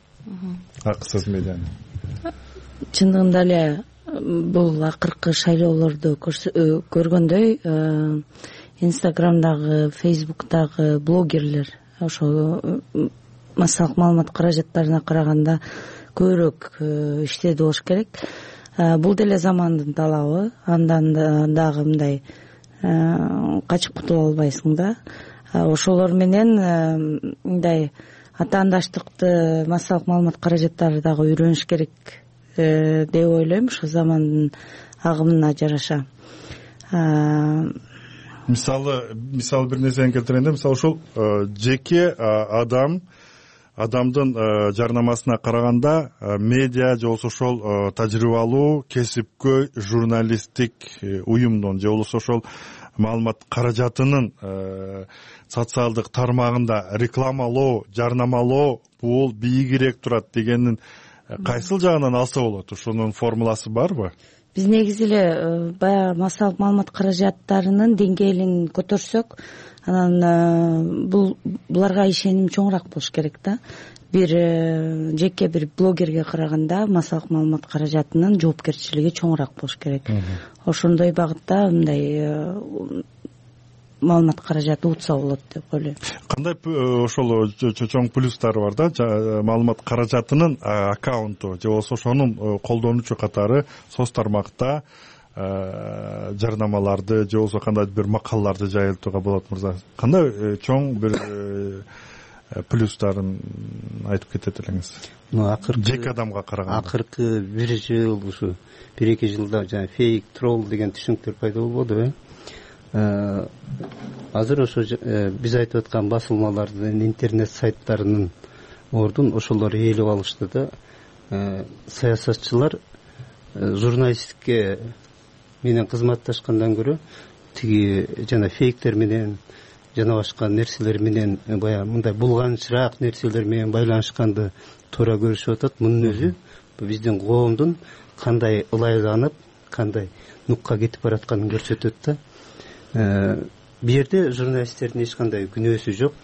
акысыз медианы? Чындыгында эле бул акыркы шайлоолорду көргөндөй инстаграмдагы, фейсбуктагы блогерлер ошо массалык маалымат каражаттарына караганда көбүрөөк иштеди болуш керек. Бул деле замандын талабы, андан дагы мындай качып кутула албайсың да. Ошолор менен мындай атаандаштыкты массалык маалымат каражаттары дагы үйрөнүш керек деп ойлойм, ошо замандын агымына жараша. Мисалы, мисалы бир нерсени келтиргенде, мисалы ошол жеке адам адамдын жарнамасына караганда медиа же болбосо ошол тажрыйбалуу кесипкөй журналисттик уюмдун же болбосо ошол маалымат каражатынын социалдык тармагында рекламалоо, жарнамалоо бул бийигирээк турат дегенин кайсыл жагынан алса болот? Ошонун формуласы барбы? Биз негизи эле баягы массалык маалымат каражаттарынын деңгээлин көтөрсөк, анан бул буларга ишеним чоңураак болуш керек да. Бир жеке бир блогерге караганда массалык маалымат каражатынын жоопкерчилиги чоңураак болуш керек. Ошондой багытта мындай маалымат каражаты утса болот деп ойлойм. Кандай ошол чоң плюстары бар да, маалымат каражатынын аккаунту же болбосо ошонун колдонуучу катары соц тармакта жарнамаларды же болбосо кандайдыр бир макалаларды жайылтууга болот мырза. Кандай чоң бир плюстарын айтып кетет элеңиз? Жеке адамга караганда. Акыркы бир жыл, ушу бир эки жылда жана фейк, тролл деген түшүнүктөр пайда болбодубу? Азыр ошо биз айтып аткан басылмалардын, интернет сайттарынын ордун ошолор ээлеп алышты да. Саясатчылар журналистикке менен кызматташкандан көрө тиги жана фейктер менен жана башка нерселер менен баягы мындай булганчыраак нерселер менен байланышканды туура көрүшүп атат. Мунун өзү биздин коомдун кандай ылайланып, кандай нукка кетип баратканын көрсөтөт да. Бу жерде журналисттердин эч кандай күнөөсү жок.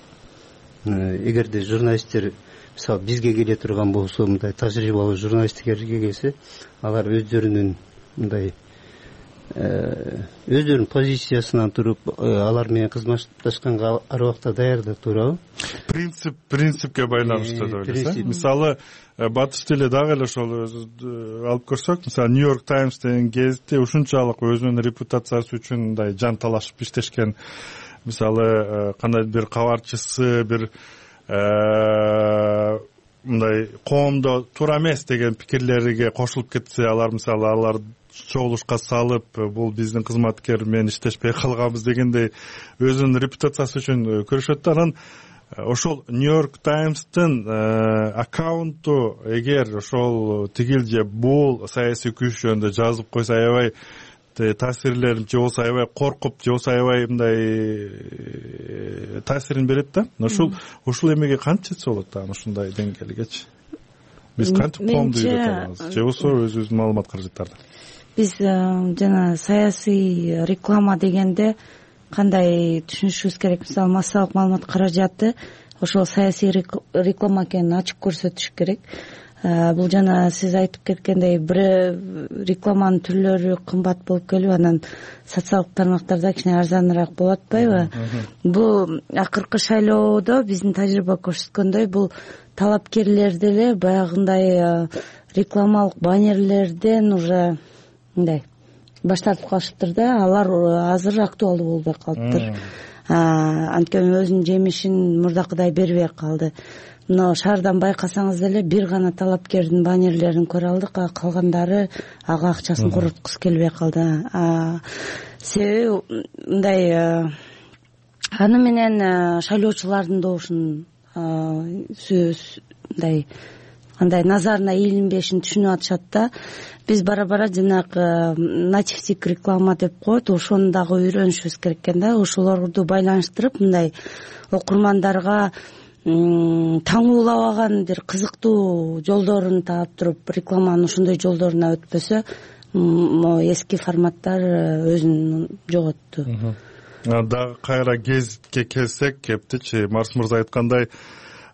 Эгерде журналисттер мисалы бизге келе турган болсо, мындай тажрыйбалуу журналисттерге келсе, алар өздөрүнүн мындай өздөрүнүн позициясынан туруп алар менен кызматташканга ар убакта даярдык да, туурабы? Принцип принципке байланыштуу деп ойлойсуз. Мисалы батыш тиле дагы эле ошол алып көрсөк, мисалы Нью-Йорк Таймс деген гезитте ушунчалык өзүнүн репутациясы үчүн мындай жан талашып иштешкен, мисалы кандайдыр бир кабарчысы бир мындай коомдо туура эмес деген пикирлерге кошулуп кетсе, алар мисалы алар чогулушка салып, бул биздин кызматкер менен иштешпей калганбыз дегендей өзүнүн репутациясы үчүн көрүшөт да. Анан ошол Нью-Йорк Таймстын аккаунту эгер ошол тигил же бул саясий күч жөнүндө жазып койсо, аябай таасирлер же болбосо аябай коркуп, же болбосо аябай мындай таасирин берет да. Ушул ушул эмеге кантип жетсе болот да, ушундай деңгээлгечи? Биз кантип коомду үйрөтө алабыз? Же болбосо өзүбүздүн маалымат каражаттарды? Биз жана саясий реклама дегенде кандай түшүнүшүбүз керек? Мисалы массалык маалымат каражаты ошол саясий реклама экенин ачык көрсөтүш керек. Бул жана сиз айтып кеткендей бир рекламанын түрлөрү кымбат болуп келип, анан социалдык тармактарда кичине арзаныраак болуп атпайбы? Бул акыркы шайлоодо биздин тажрыйба көрсөткөндөй, бул талапкерлер деле баягындай рекламалык баннерлерден уже мындай баш тартып калышыптыр да. Алар азыр актуалдуу болбой калыптыр. Анткени өзүнүн жемишин мурдакыдай бербей калды. Мына шаардан байкасаңыз деле бир гана талапкердин баннерлерин көрө алдык, а калгандары ага акчасын короткусу келбей калды. Себеби мындай аны менен шайлоочулардын добушун мындай андай назарына ийилинбешин түшүнүп атышат да. Биз бара-бара жанагы нативдик реклама деп коет, ошону дагы үйрөнүшүбүз керек экен да. Ошолорду байланыштырып мындай окурмандарга таңуулабаган бир кызыктуу жолдорун таап туруп, рекламанын ошондой жолдоруна өтпөсө могу эски форматтар өзүн жоготту. Дагы кайра гезитке келсек, кептичи Марс мырза айткандай,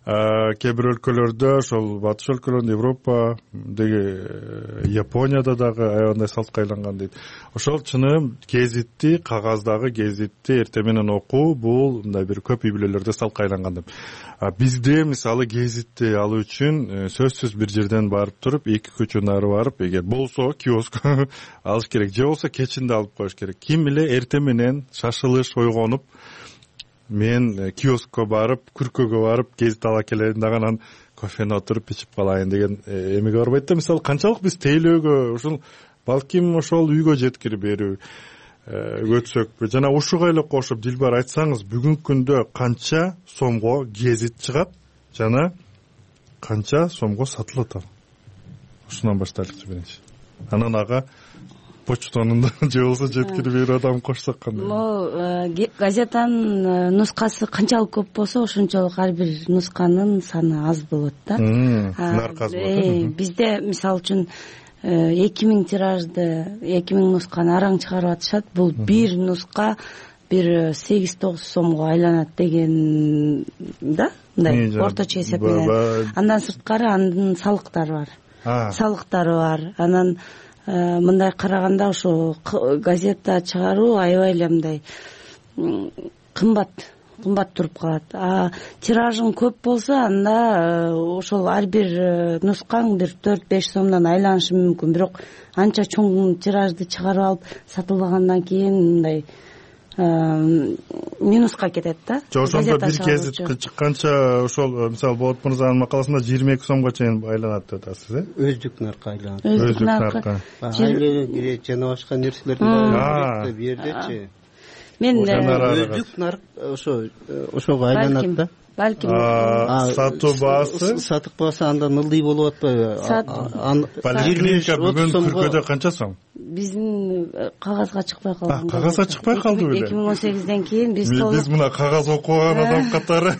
кээ бир өлкөлөрдө, ошол батыш өлкөлөрүндө, Европа деги Японияда дагы аябандай салтка айланган дейт. Ошол чыным гезитти, кагаздагы гезитти эртең менен окуу бул мындай бир көп үй бүлөлөрдө салтка айланган деп. Бизде мисалы гезитти алуу үчүн сөзсүз бир жерден барып туруп, эки көчө нары барып, эгер болсо киоск алыш керек, же болбосо кечинде алып коюш керек. Ким эле эртең менен шашылыш ойгонуп, мен киоскко барып, күркөгө барып гезит ала келейин, дагы анан кофени отуруп ичип калайын деген эмеге барбайт да. Мисалы канчалык биз тейлөөгө, ушул балким ошол үйгө жеткирип берүү өтсөкпү, жана ушуга эле кошуп Дилбар айтсаңыз, бүгүнкү күндө канча сомго гезит чыгат жана канча сомго сатылат ал? Ушунан баштайлыкчы биринчи. Анан ага почтонун же болбосо жеткирип берүү адам кошсок кандай? Могу газетанын нускасы канчалык көп болсо, ошончолук ар бир нусканын саны аз болот да. Наркы аз болот. Бизде мисалы үчүн эки миң тиражды, эки миң нусканы араң чыгарып атышат. Бул бир нуска бир сегиз тогуз сомго айланат деген да, мындай орточо эсеп менен. Андан сырткары анын салыктары бар. Салыктары бар. Анан мындай караганда ошо газета чыгаруу аябай эле мындай кымбат кымбат туруп калат. А тиражың көп болсо, анда ошол ар бир нускаң бир төрт беш сомдон айланышы мүмкүн. Бирок анча чоң тиражды чыгарып алып сатылбагандан кийин мындай минуска кетет да. Же ошондо бир гезит чыкканча ошол мисалы Болот мырзанын макаласында жыйырма эки сомго чейин айланат деп атасыз, э? Өздүк наркы айланат. Өздүк наркы. Айланат кирет жана башка нерселердин баары бу жердечи. Мен өздүк нарк ошо ошого айланат да. Балким сатуу баасы, сатык баасы андан ылдый болуп атпайбы? Поликлиника бүгүн күркөдө канча сом? Биздин кагазга чыкпай калган. Кагазга чыкпай калды беле? эки миң он сегизден кийин биз биз мына кагаз окуган адам катары.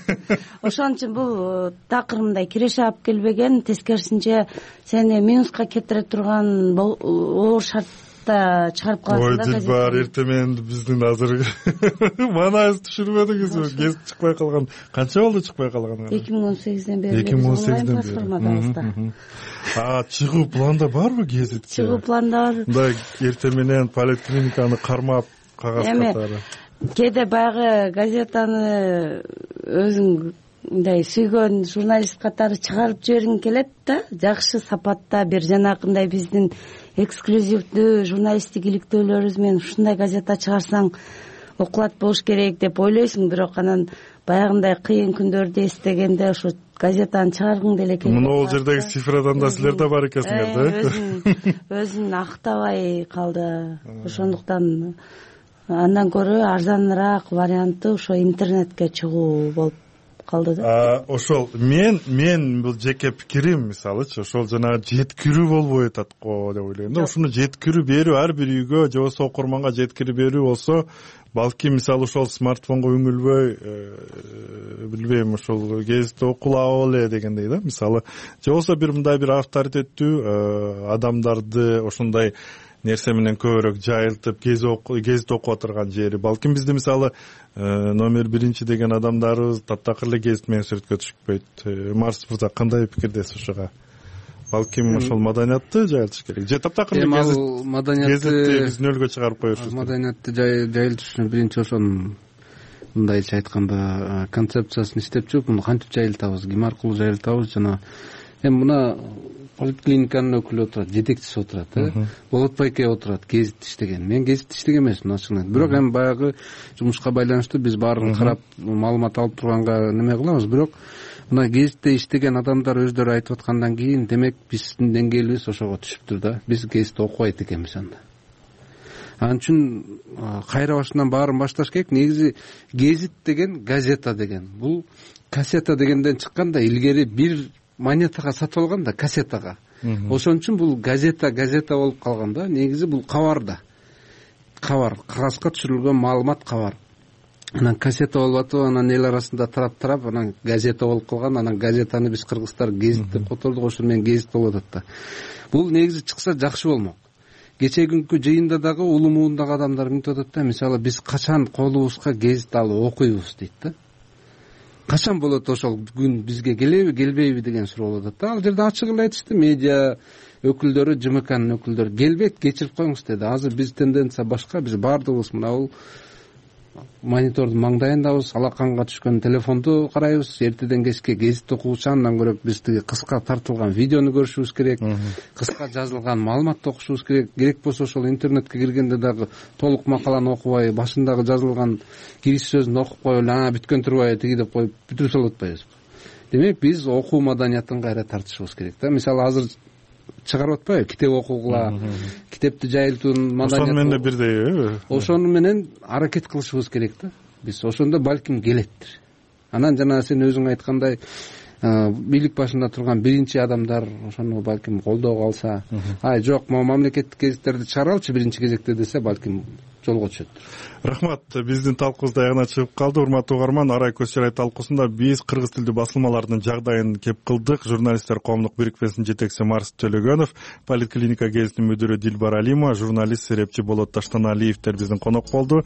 Ошон үчүн бул такыр мындай киреше алып келбеген, тескерисинче сени минуска кетире турган оор шартта чыгарып калат да. Ой, Дилбар, эртең менен биздин азыр манайыбыз түшүрбөдүңүзбү? Гезит чыкпай калган. Канча болду чыкпай калган? эки миң он сегизден бери. эки миң он сегизден бери. А чыгуу планда барбы гезитке? Чыгуу планда бар. Мындай эртең менен поликлиниканы кармап кагаз катары. Кээде баягы газетаны өзүң мындай сүйгөн журналист катары чыгарып жибергиң келет да, жакшы сапатта бир жанакындай биздин эксклюзивдүү журналисттик иликтөөлөрүбүз менен ушундай газета чыгарсаң окулат болуш керек деп ойлойсуң, бирок анан баягындай кыйын күндөрдү эстегенде ошо газетаны чыгаргың деле келет. Мына ол жердеги цифрадан да силер да бар экенсиңер да. Өзүн өзүн актабай калды. Ошондуктан андан көрө арзаныраак варианты ошо интернетке чыгуу болуп калды да. Ошол мен мен бул жеке пикирим, мисалычы, ошол жана жеткирүү болбой атат го деп ойлойм да. Ушуну жеткирүү берүү, ар бир үйгө же болбосо окурманга жеткирип берүү болсо, балки мисалы ошол смартфонго үңүлбөй, билбейм, ошол гезитти окулап эле дегендей да. Мисалы, же болбосо бир мындай бир авторитеттүү адамдарды ошондой нерсе менен көбүрөөк жайылтып гезит окуп отурган жери. Балким бизде мисалы номер биринчи деген адамдарыбыз таптакыр эле гезит менен сүрөткө түшпөйт. Марс мырза кандай пикирдесиз ушуга? Балким ошол маданиятты жайылтыш керек. Же таптакыр эле гезитти биздин өлкөгө чыгарып коюшубуз. Маданиятты жайылтыш үчүн биринчи ошонун мындайча айтканда концепциясын иштеп чыгып, муну кантип жайылтабыз, ким аркылуу жайылтабыз, жана эми мына поликлиниканын өкүлү отурат, жетекчиси отурат, э? Болот байке отурат, гезит иштеген. Мен гезит иштеген эмесмин, ачыгын. Бирок эми баягы жумушка байланыштуу биз баарын карап, маалымат алып турганга неме кылабыз. Бирок мына гезитте иштеген адамдар өздөрү айтып аткандан кийин, демек биздин деңгээлибиз ошого түшүптүр да. Биз гезитти окубайт экенбиз анда. Анын үчүн кайра башынан баарын башташ керек. Негизи гезит деген газета деген. Бул кассета дегенден чыккан да, илгери бир монетага сатып алган да, кассетага. Ошон үчүн бул газета газета болуп калган да. Негизи бул кабар да. Кабар, кагазга түшүрүлгөн маалымат кабар. Анан кассета болуп атып, анан эл арасында тарап-тарап, анан газета болуп калган. Анан газетаны биз кыргыздар гезит деп котордук, ошол менен гезит болуп атат да. Бул негизи чыкса жакшы болмок. кечээ күнкү жыйында дагы улуу муундагы адамдар мынтип атат да, мисалы биз качан колубузга гезит алып окуйбуз дейт да. Качан болот ошол күн, бизге келеби келбейби деген суроо болуп атат да. Ал жерде ачык эле айтышты медиа өкүлдөрү, ЖМКнын өкүлдөрү, келбейт, кечирип коюңуз деди. Азыр биз тенденция башка, биз баардыгыбыз мына бул монитордун маңдайындабыз, алаканга түшкөн телефонду карайбыз, эртеден кечке гезит окуучу, андан көрө биз тиги кыска тартылган видеону көрүшүбүз керек, кыска жазылган маалыматты окушубуз керек. Керек болсо ошол интернетке киргенде дагы толук макаланы окубай, башындагы жазылган кириш сөзүн окуп коюп эле, а бүткөн турбайбы тиги деп коюп бүтүрүп салып атпайбызбы? Демек биз окуу маданиятын кайра тартышыбыз керек да. Мисалы азыр чыгарып атпайбы, китеп окугула, китепти жайылтуунун маданият. Ошону менен бирдейби? Ошону менен аракет кылышыбыз керек да. Биз ошондо балким келеттир. Анан жана сен өзүң айткандай, бийлик башында турган биринчи адамдар ошону балким колдоого алса, ай жок, могу мамлекеттик гезиттерди чыгаралычы биринчи кезекте десе, балким жолго түшөт. Рахмат. Биздин талкуубуз аягына чыгып калды. Урматтуу угарман, Арай көз чарай талкуусунда биз кыргыз тилдүү басылмалардын жагдайын кеп кылдык. Журналисттер коомдук бирикмесинин жетекчиси Марс Төлөгөнов, Политклиника гезитинин мүдүрү Дилбар Алимова, журналист Серепчи Болот Таштаналиевдер биздин конок болду.